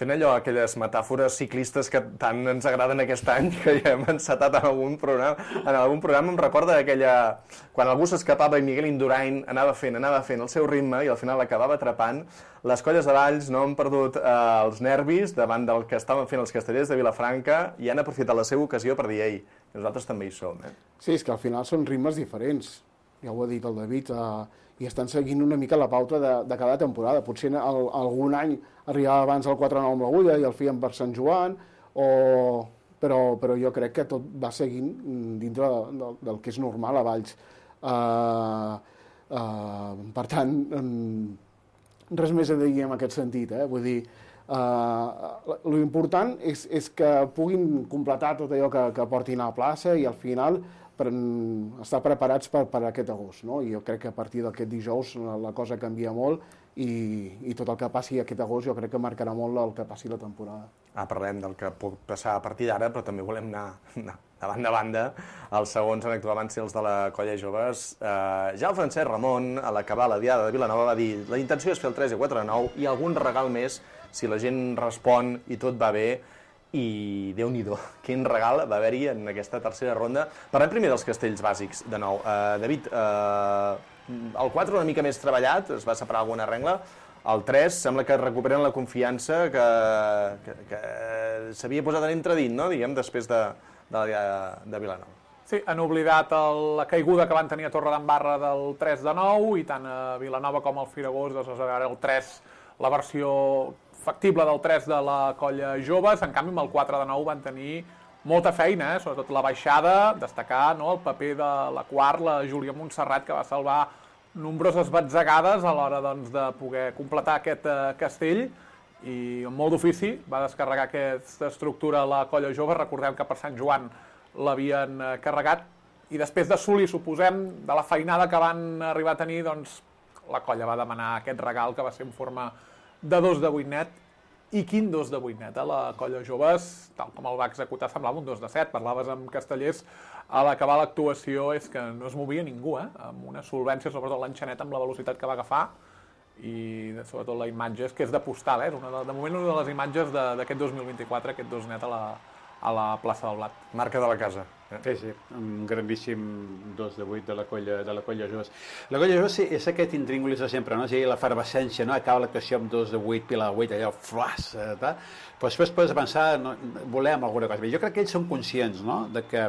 Fent allò, aquelles metàfores ciclistes que tant ens agraden aquest any, que ja hem encetat en algun programa, en algun programa em recorda aquella... quan algú s'escapava i Miguel Indurain anava fent, anava fent el seu ritme i al final acabava atrapant. Les colles de Valls no han perdut eh, els nervis davant del que estaven fent els castellers de Vilafranca i han aprofitat la seva ocasió per dir, ei, nosaltres també hi som. Eh? Sí, és que al final són ritmes diferents, ja ho ha dit el David, eh, i estan seguint una mica la pauta de, de cada temporada. Potser el, algun any arribava abans el quatre nou amb l'Agulla i el fèiem per Sant Joan, o... però, però jo crec que tot va seguint dintre de, de, del que és normal a Valls. Uh, uh, per tant, um, res més a dir en aquest sentit. Eh? Vull dir, uh, l'important és, és que puguin completar tot allò que, que portin a la plaça i al final per, estar preparats per, per aquest agost, no? I jo crec que a partir d'aquest dijous la, la cosa canvia molt i, i tot el que passi aquest agost jo crec que marcarà molt el que passi la temporada. Ah, parlem del que pot passar a partir d'ara, però també volem anar, anar de banda a banda. Els segons en actuar van ser els de la Colla Joves. Eh, ja el Francesc Ramon, a l'acabar la Diada de Vilanova, va dir la intenció és fer el tres i quatre de nou i algun regal més si la gent respon i tot va bé. I Déu-n'hi-do, quin regal va haver-hi en aquesta tercera ronda. Parlem primer dels castells bàsics, de nou. Uh, David, uh, el quatre una mica més treballat, es va separar alguna regla. El tres sembla que recuperen la confiança que, que, que s'havia posat en entredit, no?, diguem, després de, de, de Vilanova. Sí, han oblidat el, la caiguda que van tenir a Torredembarra del tres de nou i tant a Vilanova com al Firagós, doncs ara el tres, la versió factible del tres de la Colla Joves. En canvi, amb el quatre de nou van tenir molta feina, eh? Sobretot la baixada, destacar, no?, el paper de la quart, la Júlia Montserrat, que va salvar nombroses batzegades a l'hora, doncs, de poder completar aquest eh, castell i amb molt d'ofici va descarregar aquesta estructura a la Colla Jove. Recordem que per Sant Joan l'havien eh, carregat i després d'assolir, suposem, de la feinada que van arribar a tenir, doncs la colla va demanar aquest regal que va ser en forma de dos de vuit net. I quin dos de vuit net, eh? La Colla Joves, tal com el va executar, semblava un dos de set. Parlaves amb Castellers, a l'acabar l'actuació és que no es movia ningú, eh? Amb una solvència, sobretot l'enxanet amb la velocitat que va agafar, i sobretot la imatge és que és de postal, eh? És una de, de moment una de les imatges d'aquest dos mil vint-i-quatre, aquest dos net a la, a la plaça del Blat. Marca de la casa. Sí, sí, un grandíssim dos de vuit de la Colla, de la Colla Joves. La Colla Joves sí, és aquest intríngulis de sempre, no? O sigui, l'efervescència, no? Acaba l'actuació amb dos de vuit, pila de vuit, allò, flas, tal. Però després pots pensar, no, volem alguna cosa. Jo crec que ells són conscients, no?, de que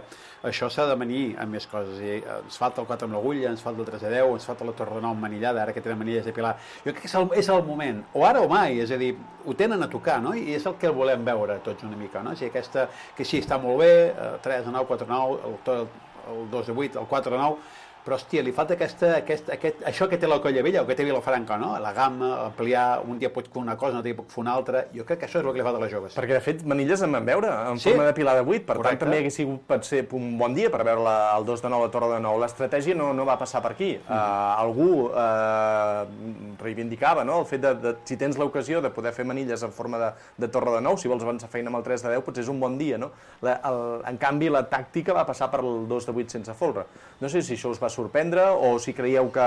això s'ha de venir amb més coses. I ens falta el quatre amb l'agulla, ens falta el tres de deu, ens falta la Torre de nou manillada, ara que tenen manilles de pilar. Jo crec que és el, és el moment, o ara o mai, és a dir, ho tenen a tocar, no?, i és el que volem veure tots una mica, no? O sigui, aquesta, que sí, està molt bé, tres de nou, quatre de nou, el, el dos de vuit, el quatre de nou, però, hòstia, li falta aquesta, aquesta, aquest, això que té la Colla Vella o que té Vilafranca, no? La gamma, ampliar, un dia pot fer una cosa, un dia pot fer una altra. Jo crec que això és el que li falta a les joves. Perquè, de fet, manilles en vam veure, en sí? forma de pilar de vuit, per Correcte. tant, també hagués sigut, pot ser, un bon dia per veure la, el dos de nou, la Torre de nou. L'estratègia no, no va passar per aquí. Mm. Uh, algú uh, reivindicava, no?, el fet de, de si tens l'ocasió de poder fer manilles en forma de, de Torre de nou, si vols avançar feina amb el tres de deu, potser és un bon dia, no? La, el, en canvi, la tàctica va passar per el dos de vuit sense folre. No sé si això us va sorprendre o o si creieu que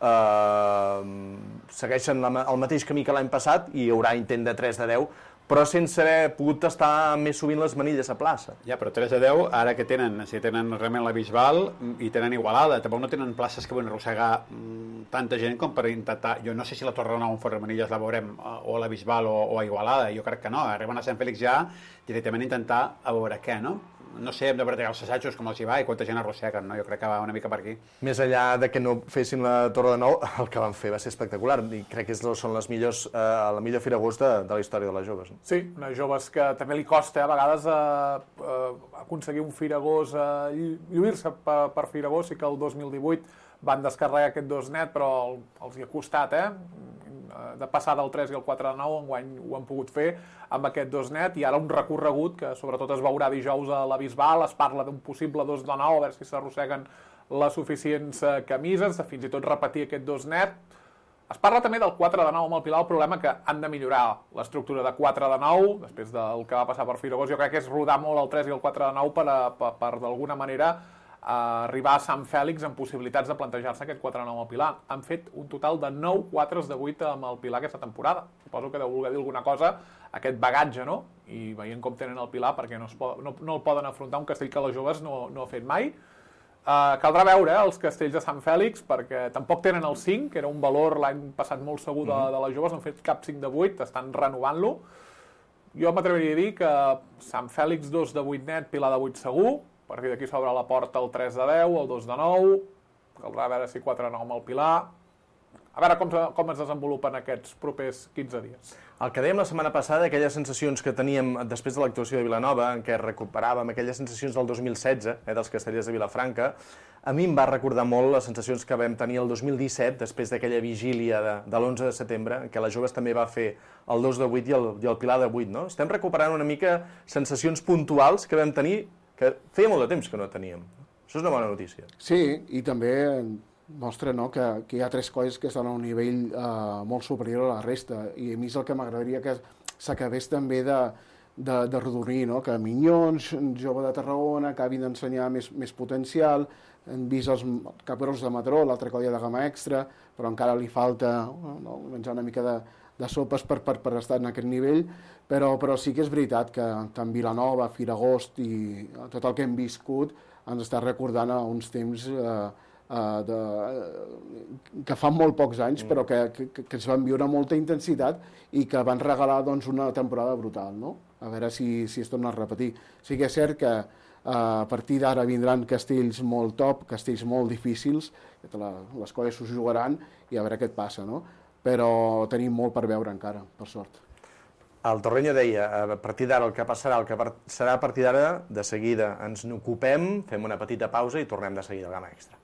eh, segueixen la, el mateix camí que l'any passat i hi haurà intent de tres de deu, però sense haver pogut tastar més sovint les manilles a plaça. Ja, però tres de deu, ara que tenen, si tenen realment la Bisbal i tenen Igualada, tampoc no tenen places que poden arrossegar tanta gent com per intentar... Jo no sé si la Torre de Nou en fora manilles la veurem o a la Bisbal o, o a Igualada, jo crec que no. Arriben a Sant Fèlix ja directament a intentar a veure què, no? No sé, hem de bretegar els assajos, com els hi va i quanta gent arrosseguen, no? Jo crec que va una mica per aquí. Més enllà de que no fessin la Torre de Nou, el que van fer va ser espectacular i crec que són les millors, eh, la millor Fira Agost de, de la història de les joves. No? Sí, unes joves que també li costa a vegades eh, eh, aconseguir un Fira Agost, eh, lluir-se per, per Fira Agost. Sí que el dos mil divuit van descarregar aquest dos net, però el, els hi ha costat, eh? De passar del tres i el quatre de nou, enguany ho han pogut fer amb aquest dos net, i ara un recorregut que sobretot es veurà dijous a la Bisbal. Es parla d'un possible dos de nou, a veure si s'arrosseguen les suficients camises, de fins i tot repetir aquest dos net. Es parla també del quatre de nou amb el Pilar, el problema que han de millorar l'estructura de quatre de nou, després del que va passar per Fira Agost. Jo crec que és rodar molt el tres i el quatre de nou per, a, per, per d'alguna manera a arribar a Sant Fèlix amb possibilitats de plantejar-se aquest quatre de nou al Pilar. Han fet un total de nou quatres de vuit amb el Pilar aquesta temporada. Suposo que deu voler dir alguna cosa aquest bagatge, no? I veient com tenen el Pilar, perquè no, es pot, no, no el poden afrontar un castell que les joves no, no ha fet mai. Uh, caldrà veure eh, els castells de Sant Fèlix, perquè tampoc tenen el cinc, que era un valor l'any passat molt segur de, de les joves, no han fet cap cinc de vuit, estan renovant-lo. Jo m'atreviria a dir que Sant Fèlix dos de vuit net, Pilar de vuit segur. A partir d'aquí s'obre la porta el tres de deu, el dos de nou, caldrà veure si quatre de nou amb el Pilar. A veure com, com es desenvolupen aquests propers quinze dies. El que dèiem la setmana passada, aquelles sensacions que teníem després de l'actuació de Vilanova, en què recuperàvem aquelles sensacions del dos mil setze, eh, dels castellers de Vilafranca, a mi em va recordar molt les sensacions que vam tenir el dos mil disset, després d'aquella vigília de, de l'onze de setembre, en què les joves també va fer el dos de vuit i el, i el Pilar de vuit, no? Estem recuperant una mica sensacions puntuals que vam tenir, que feia molt de temps que no teníem. Això és una bona notícia. Sí, i també mostra no, que, que hi ha tres colles que estan a un nivell eh, molt superior a la resta, i a mi és el que m'agradaria que s'acabés també de, de, de rodonir, no? Que Minyons, Jove de Tarragona, acabin d'ensenyar més, més potencial. Hem vist els Capgrossos de Mataró, l'altra colla de gamma extra, però encara li falta no, menjar una mica de, de sopes per, per, per estar en aquest nivell, però, però sí que és veritat que tant Vilanova, Firagost i tot el que hem viscut ens està recordant a uns temps eh, Uh, de, uh, que fa molt pocs anys, però que, que, que es van viure amb molta intensitat i que van regalar doncs, una temporada brutal, no? A veure si, si es torna a repetir. Sí que és cert que uh, a partir d'ara vindran castells molt top, castells molt difícils, que la, les colles s'ho jugaran i a veure què et passa, no? Però tenim molt per veure encara, per sort. El Torreño deia, a partir d'ara el que passarà, el que serà a partir d'ara, de seguida ens n'ocupem, fem una petita pausa i tornem de seguida al Gamma Extra.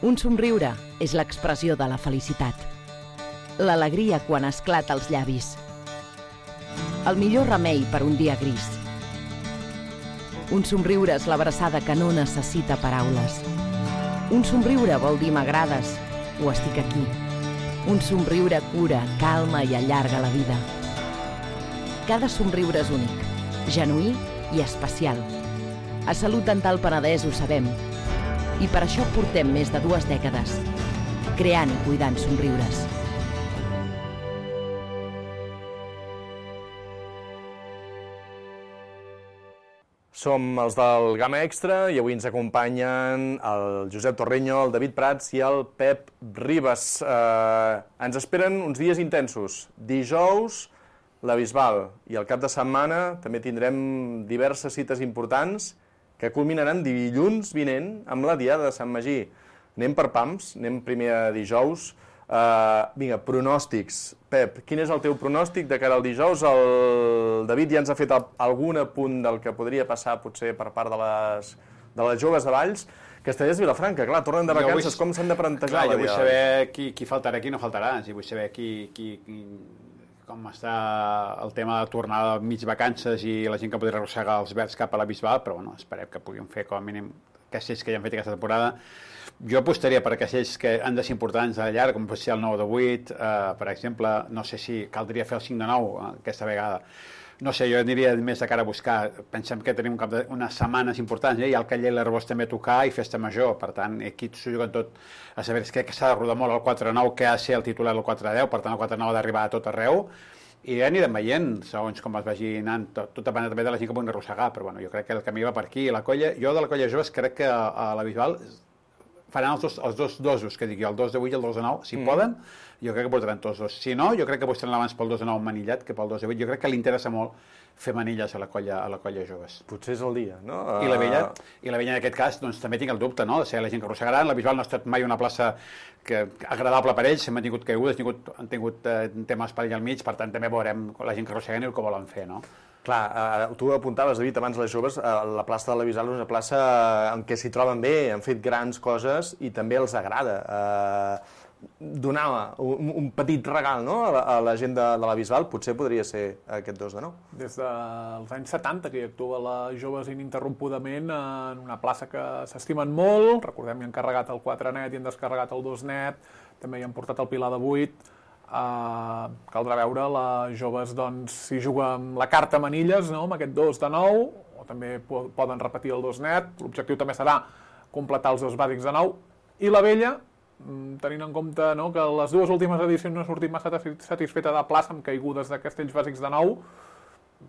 Un somriure és l'expressió de la felicitat. L'alegria quan esclata als llavis. El millor remei per un dia gris. Un somriure és l'abraçada que no necessita paraules. Un somriure vol dir m'agrades o estic aquí. Un somriure cura, calma i allarga la vida. Cada somriure és únic, genuí i especial. A Salut Dental Penedès ho sabem. I per això portem més de dues dècades, creant i cuidant somriures. Som els del Gamma Extra i avui ens acompanyen el Josep Torreño, el David Prats i el Pep Ribas. Eh, ens esperen uns dies intensos. Dijous, la Bisbal, i el cap de setmana també tindrem diverses cites importants que culminaran dilluns vinent amb la Diada de Sant Magí. Anem per pams, anem primer a dijous. Uh, vinga, pronòstics. Pep, quin és el teu pronòstic de cara al dijous? El David ja ens ha fet algun apunt del que podria passar potser per part de les, de les joves de Valls. Castellers i Vilafranca, clar, tornen de vacances, com s'han de plantejar? Clar, jo vull saber qui, qui faltarà, qui no faltarà, i vull saber qui, qui, qui, com està el tema de tornar a mig vacances i la gent que podria arrossegar els verds cap a la Bisbal, però bueno, esperem que puguin fer com a mínim castells que ja han fet aquesta temporada. Jo apostaria per castells que han de ser importants a la llarga, com pot ser el nou de vuit, eh, per exemple, no sé si caldria fer el cinc de nou eh, aquesta vegada. No sé, jo aniria més de cara a buscar. Pensem que tenim un cap de, unes setmanes importants, eh? Hi ha el Caller i l'Arbós també a tocar i Festa Major, per tant, aquí s'ho juguen tot a saber, crec que s'ha de rodar molt el quatre nou, que ha de ser el titular el quatre deu, per tant el quatre nou ha d'arribar a tot arreu, i ja anirem veient, segons com es vagi anant, tot, tot depèn també de la gent que puguin arrossegar, però bueno, jo crec que el camí va per aquí. La colla, jo de la colla joves crec que a, a la Bisbal faran els dos, els dos dosos, que dic jo, el dos de vuit i el dos de nou, si mm. poden, jo crec que portaran tots dos. Si no, jo crec que apostaran abans pel dos de nou manillat que pel dos de vuit. Jo crec que li interessa molt fer manilles a la colla, a la colla joves. Potser és el dia, no? I la vella, i la vella en aquest cas, doncs també tinc el dubte, no?, de ser la gent que arrossegaran. La Bisbal no ha estat mai una plaça que, agradable per ells, hem tingut caigudes, han tingut, han tingut eh, temes per allà al mig, per tant també veurem la gent que arrosseguen i el que volen fer, no? Clar, eh, tu apuntaves, David, abans les joves, eh, la plaça de la Bisbal és una plaça en què s'hi troben bé, han fet grans coses i també els agrada. Eh, donar un, un petit regal, no?, a la, a la gent de, de la Bisbal, potser podria ser aquest dos de nou. Des dels anys setanta que hi actua les joves ininterrompudament en una plaça que s'estimen molt. Recordem que han carregat el quatre net i han descarregat el dos net, també hi han portat el Pilar de vuit. Uh, caldrà veure, les joves doncs s'hi juga amb la carta manilles, no?, amb aquest dos de nou, o també po poden repetir el dos net. L'objectiu també serà completar els dos bàsics de nou. I la vella, tenint en compte, no?, que les dues últimes edicions no ha sortit massa satisfeta de plaça amb caigudes de castells bàsics de nou,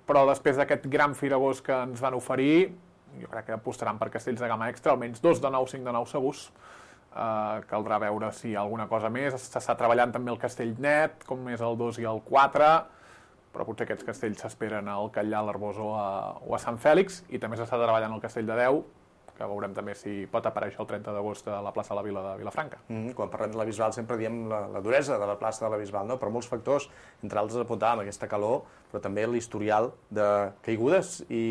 però després d'aquest gran firagós que ens van oferir, jo crec que apostaran per castells de gamma extra, almenys dos de nou, cinc de nou segurs. Uh, caldrà veure si hi ha alguna cosa més. S'està treballant també el castell net, com és el dos i el quatre, però potser aquests castells s'esperen al Catllà, a l'Arbós o, a, o a Sant Fèlix, i també s'està treballant el castell de deu, que veurem també si pot aparèixer el trenta d'agost a la plaça de la Vila de Vilafranca. Mm, quan parlem de la Bisbal sempre diem la, la duresa de la plaça de la Bisbal, no? Per molts factors, entre altres apuntàvem aquesta calor, però també l'historial de caigudes i,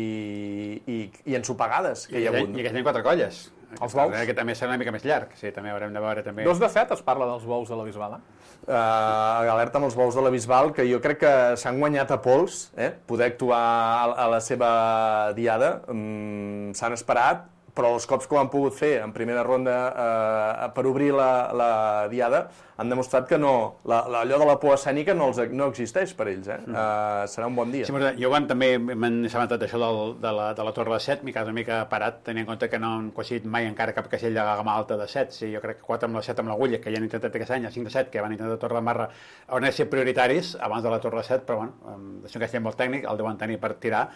i, i ensopegades que hi ha hagut. I que tenen quatre colles. Els bous? Que també serà una mica més llarg, sí, també haurem de veure també. Dos de set es parla dels bous de la Bisbal, eh? Uh, alerta amb els bous de la Bisbal, que jo crec que s'han guanyat a pols, eh? Poder actuar a, a la seva diada. Mm, s'han esperat, però els cops que ho han pogut fer en primera ronda eh, per obrir la, la diada han demostrat que no, la, la, allò de la por escènica no, els, no existeix per ells. Eh? Mm. Uh, serà un bon dia. Sí, jo quan també m'han assabentat això del, de, la, de la Torre de set, m'he quedat una mica parat, tenint en compte que no han coincidit mai encara cap castell de gamma alta de set. Sí, jo crec que quatre amb la set amb l'Agulla, que ja han intentat aquest any, el cinc de set, que van intentar Torre de Marra, hauran de ser prioritaris abans de la Torre de set, però bueno, és un castell molt tècnic, el deuen tenir per tirar.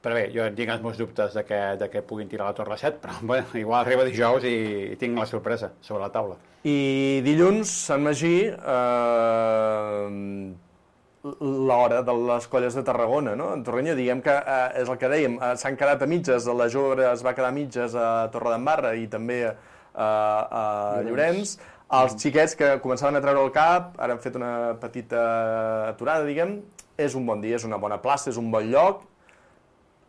Però bé, jo tinc els meus dubtes de que, de que puguin tirar la Torre de set, però bueno, igual arriba dijous i, i tinc la sorpresa sobre la taula. I dilluns, Sant Magí, eh, l'hora de les colles de Tarragona, no? En Torrenya, diguem que eh, és el que dèiem, eh, s'han quedat a mitges, la Jove es va quedar a mitges a Torredembarra i també eh, a Llorenç. Els xiquets que començaven a treure el cap, ara han fet una petita aturada, diguem, és un bon dia, és una bona plaça, és un bon lloc.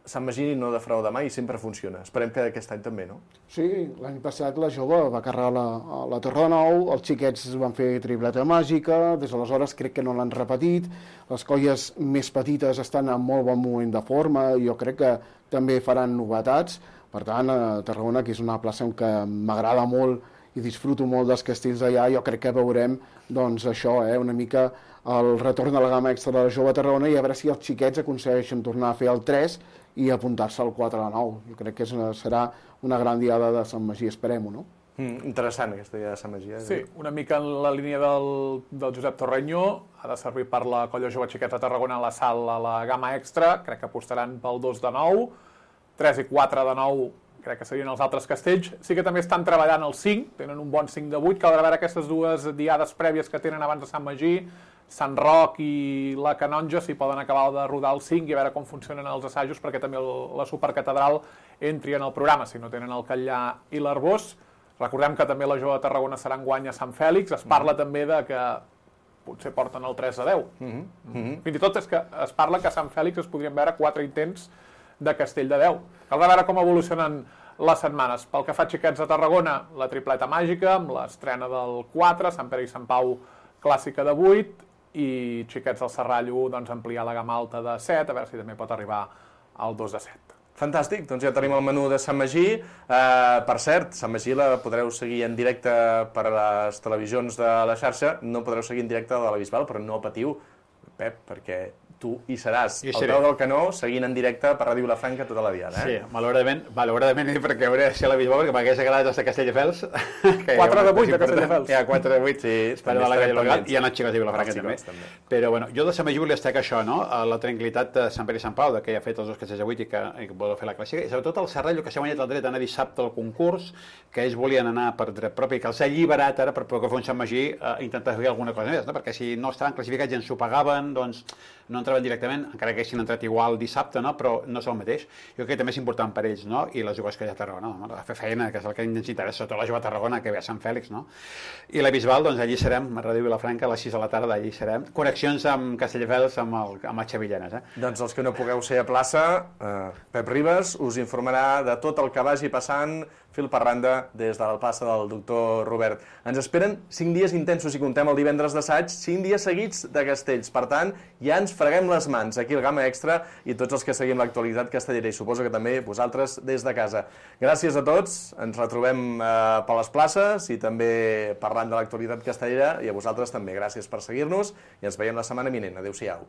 Sant Magí no defrauda mai i sempre funciona. Esperem que aquest any també, no? Sí, l'any passat la Jove va carregar la, la Torre de Nou, els xiquets van fer tripleta màgica, des d'aleshores crec que no l'han repetit, les colles més petites estan en molt bon moment de forma, jo crec que també faran novetats, per tant, a Tarragona, que és una plaça en què m'agrada molt i disfruto molt dels castells d'allà, jo crec que veurem doncs, això, eh, una mica el retorn de la gamma extra de la Jove a Tarragona i a veure si els xiquets aconsegueixen tornar a fer el tres i apuntar-se al quatre a nou. Jo crec que és una, serà una gran diada de Sant Magí, esperem-ho, no? Mm, interessant aquesta diada de Sant Magí. Eh? Sí, una mica en la línia del, del Josep Torrenyó, ha de servir per la colla Jove Xiquets de Tarragona a la sal a la gamma extra, crec que apostaran pel dos de nou, tres i quatre de nou, crec que serien els altres castells. Sí que també estan treballant el cinc, tenen un bon cinc de vuit, caldrà veure aquestes dues diades prèvies que tenen abans de Sant Magí, Sant Roc i la Canonja, si poden acabar de rodar el cinc i a veure com funcionen els assajos, perquè també el, la Supercatedral entri en el programa, si no tenen el Catllà i l'Arbós. Recordem que també la Jove de Tarragona serà enguany a Sant Fèlix, es parla mm. també de que potser porten el tres a deu. Mm -hmm. Fins i tot és que es parla que a Sant Fèlix es podrien veure quatre intents de castell de deu. Caldrà veure com evolucionen les setmanes. Pel que fa a Xiquets de Tarragona, la tripleta màgica, amb l'estrena del quatre, Sant Pere i Sant Pau clàssica de vuit, i Xiquets del Serrallo doncs, ampliar la gamma alta de set, a veure si també pot arribar al dos de set. Fantàstic, doncs ja tenim el menú de Sant Magí. Uh, per cert, Sant Magí la podreu seguir en directe per les televisions de la xarxa, no podreu seguir en directe de la Bisbal, però no patiu, Pep, perquè tu hi seràs al peu del canó, seguint en directe per Ràdio Vilafranca tota la diada. Eh? Sí, malauradament, malauradament perquè hauré de ser a la Bisbal, perquè m'hagués agradat els de Castelldefels. quatre de vuit de Castelldefels. Ja, quatre de vuit, sí. Espero a la Galla Local i en els xicots de Vilafranca també. també. Però, bueno, jo de Sant Magí volia destacar això, no? La tranquil·litat de Sant Pere i Sant Pau, de que ja ha fet els dos castells de vuit i que, i que vol fer la clàssica, i sobretot el Serrallo, que s'ha guanyat el dret d'anar dissabte al concurs, que ells volien anar per dret propi, que els ha alliberat ara per poder fer un Sant Magí eh, intentar fer alguna cosa més, no? Perquè si no estaven classificats i ens ho pagaven, doncs no entraven directament, encara que haguessin entrat igual dissabte, no? Però no és el mateix. Jo crec que també és important per ells, no? I les joves que hi ha a Tarragona, no? A fer feina, que és el que ens interessa, sobretot la jove a Tarragona, que ve a Sant Fèlix, no? I la Bisbal, doncs allí serem, a Ràdio Vilafranca, a les sis de la tarda, allí serem. Connexions amb Castelldefels, amb el, amb el Xavi Llanes, eh? Doncs els que no pugueu ser a plaça, eh, Pep Ribas us informarà de tot el que vagi passant fil per randa des de la plaça del doctor Robert. Ens esperen cinc dies intensos, si contem el divendres d'assaig, cinc dies seguits de castells. Per tant, ja ens freguem les mans aquí al Gamma Extra i tots els que seguim l'actualitat castellera i suposo que també vosaltres des de casa. Gràcies a tots, ens retrobem eh, per les places i també parlant de l'actualitat castellera i a vosaltres també. Gràcies per seguir-nos i ens veiem la setmana vinent. Adéu-siau.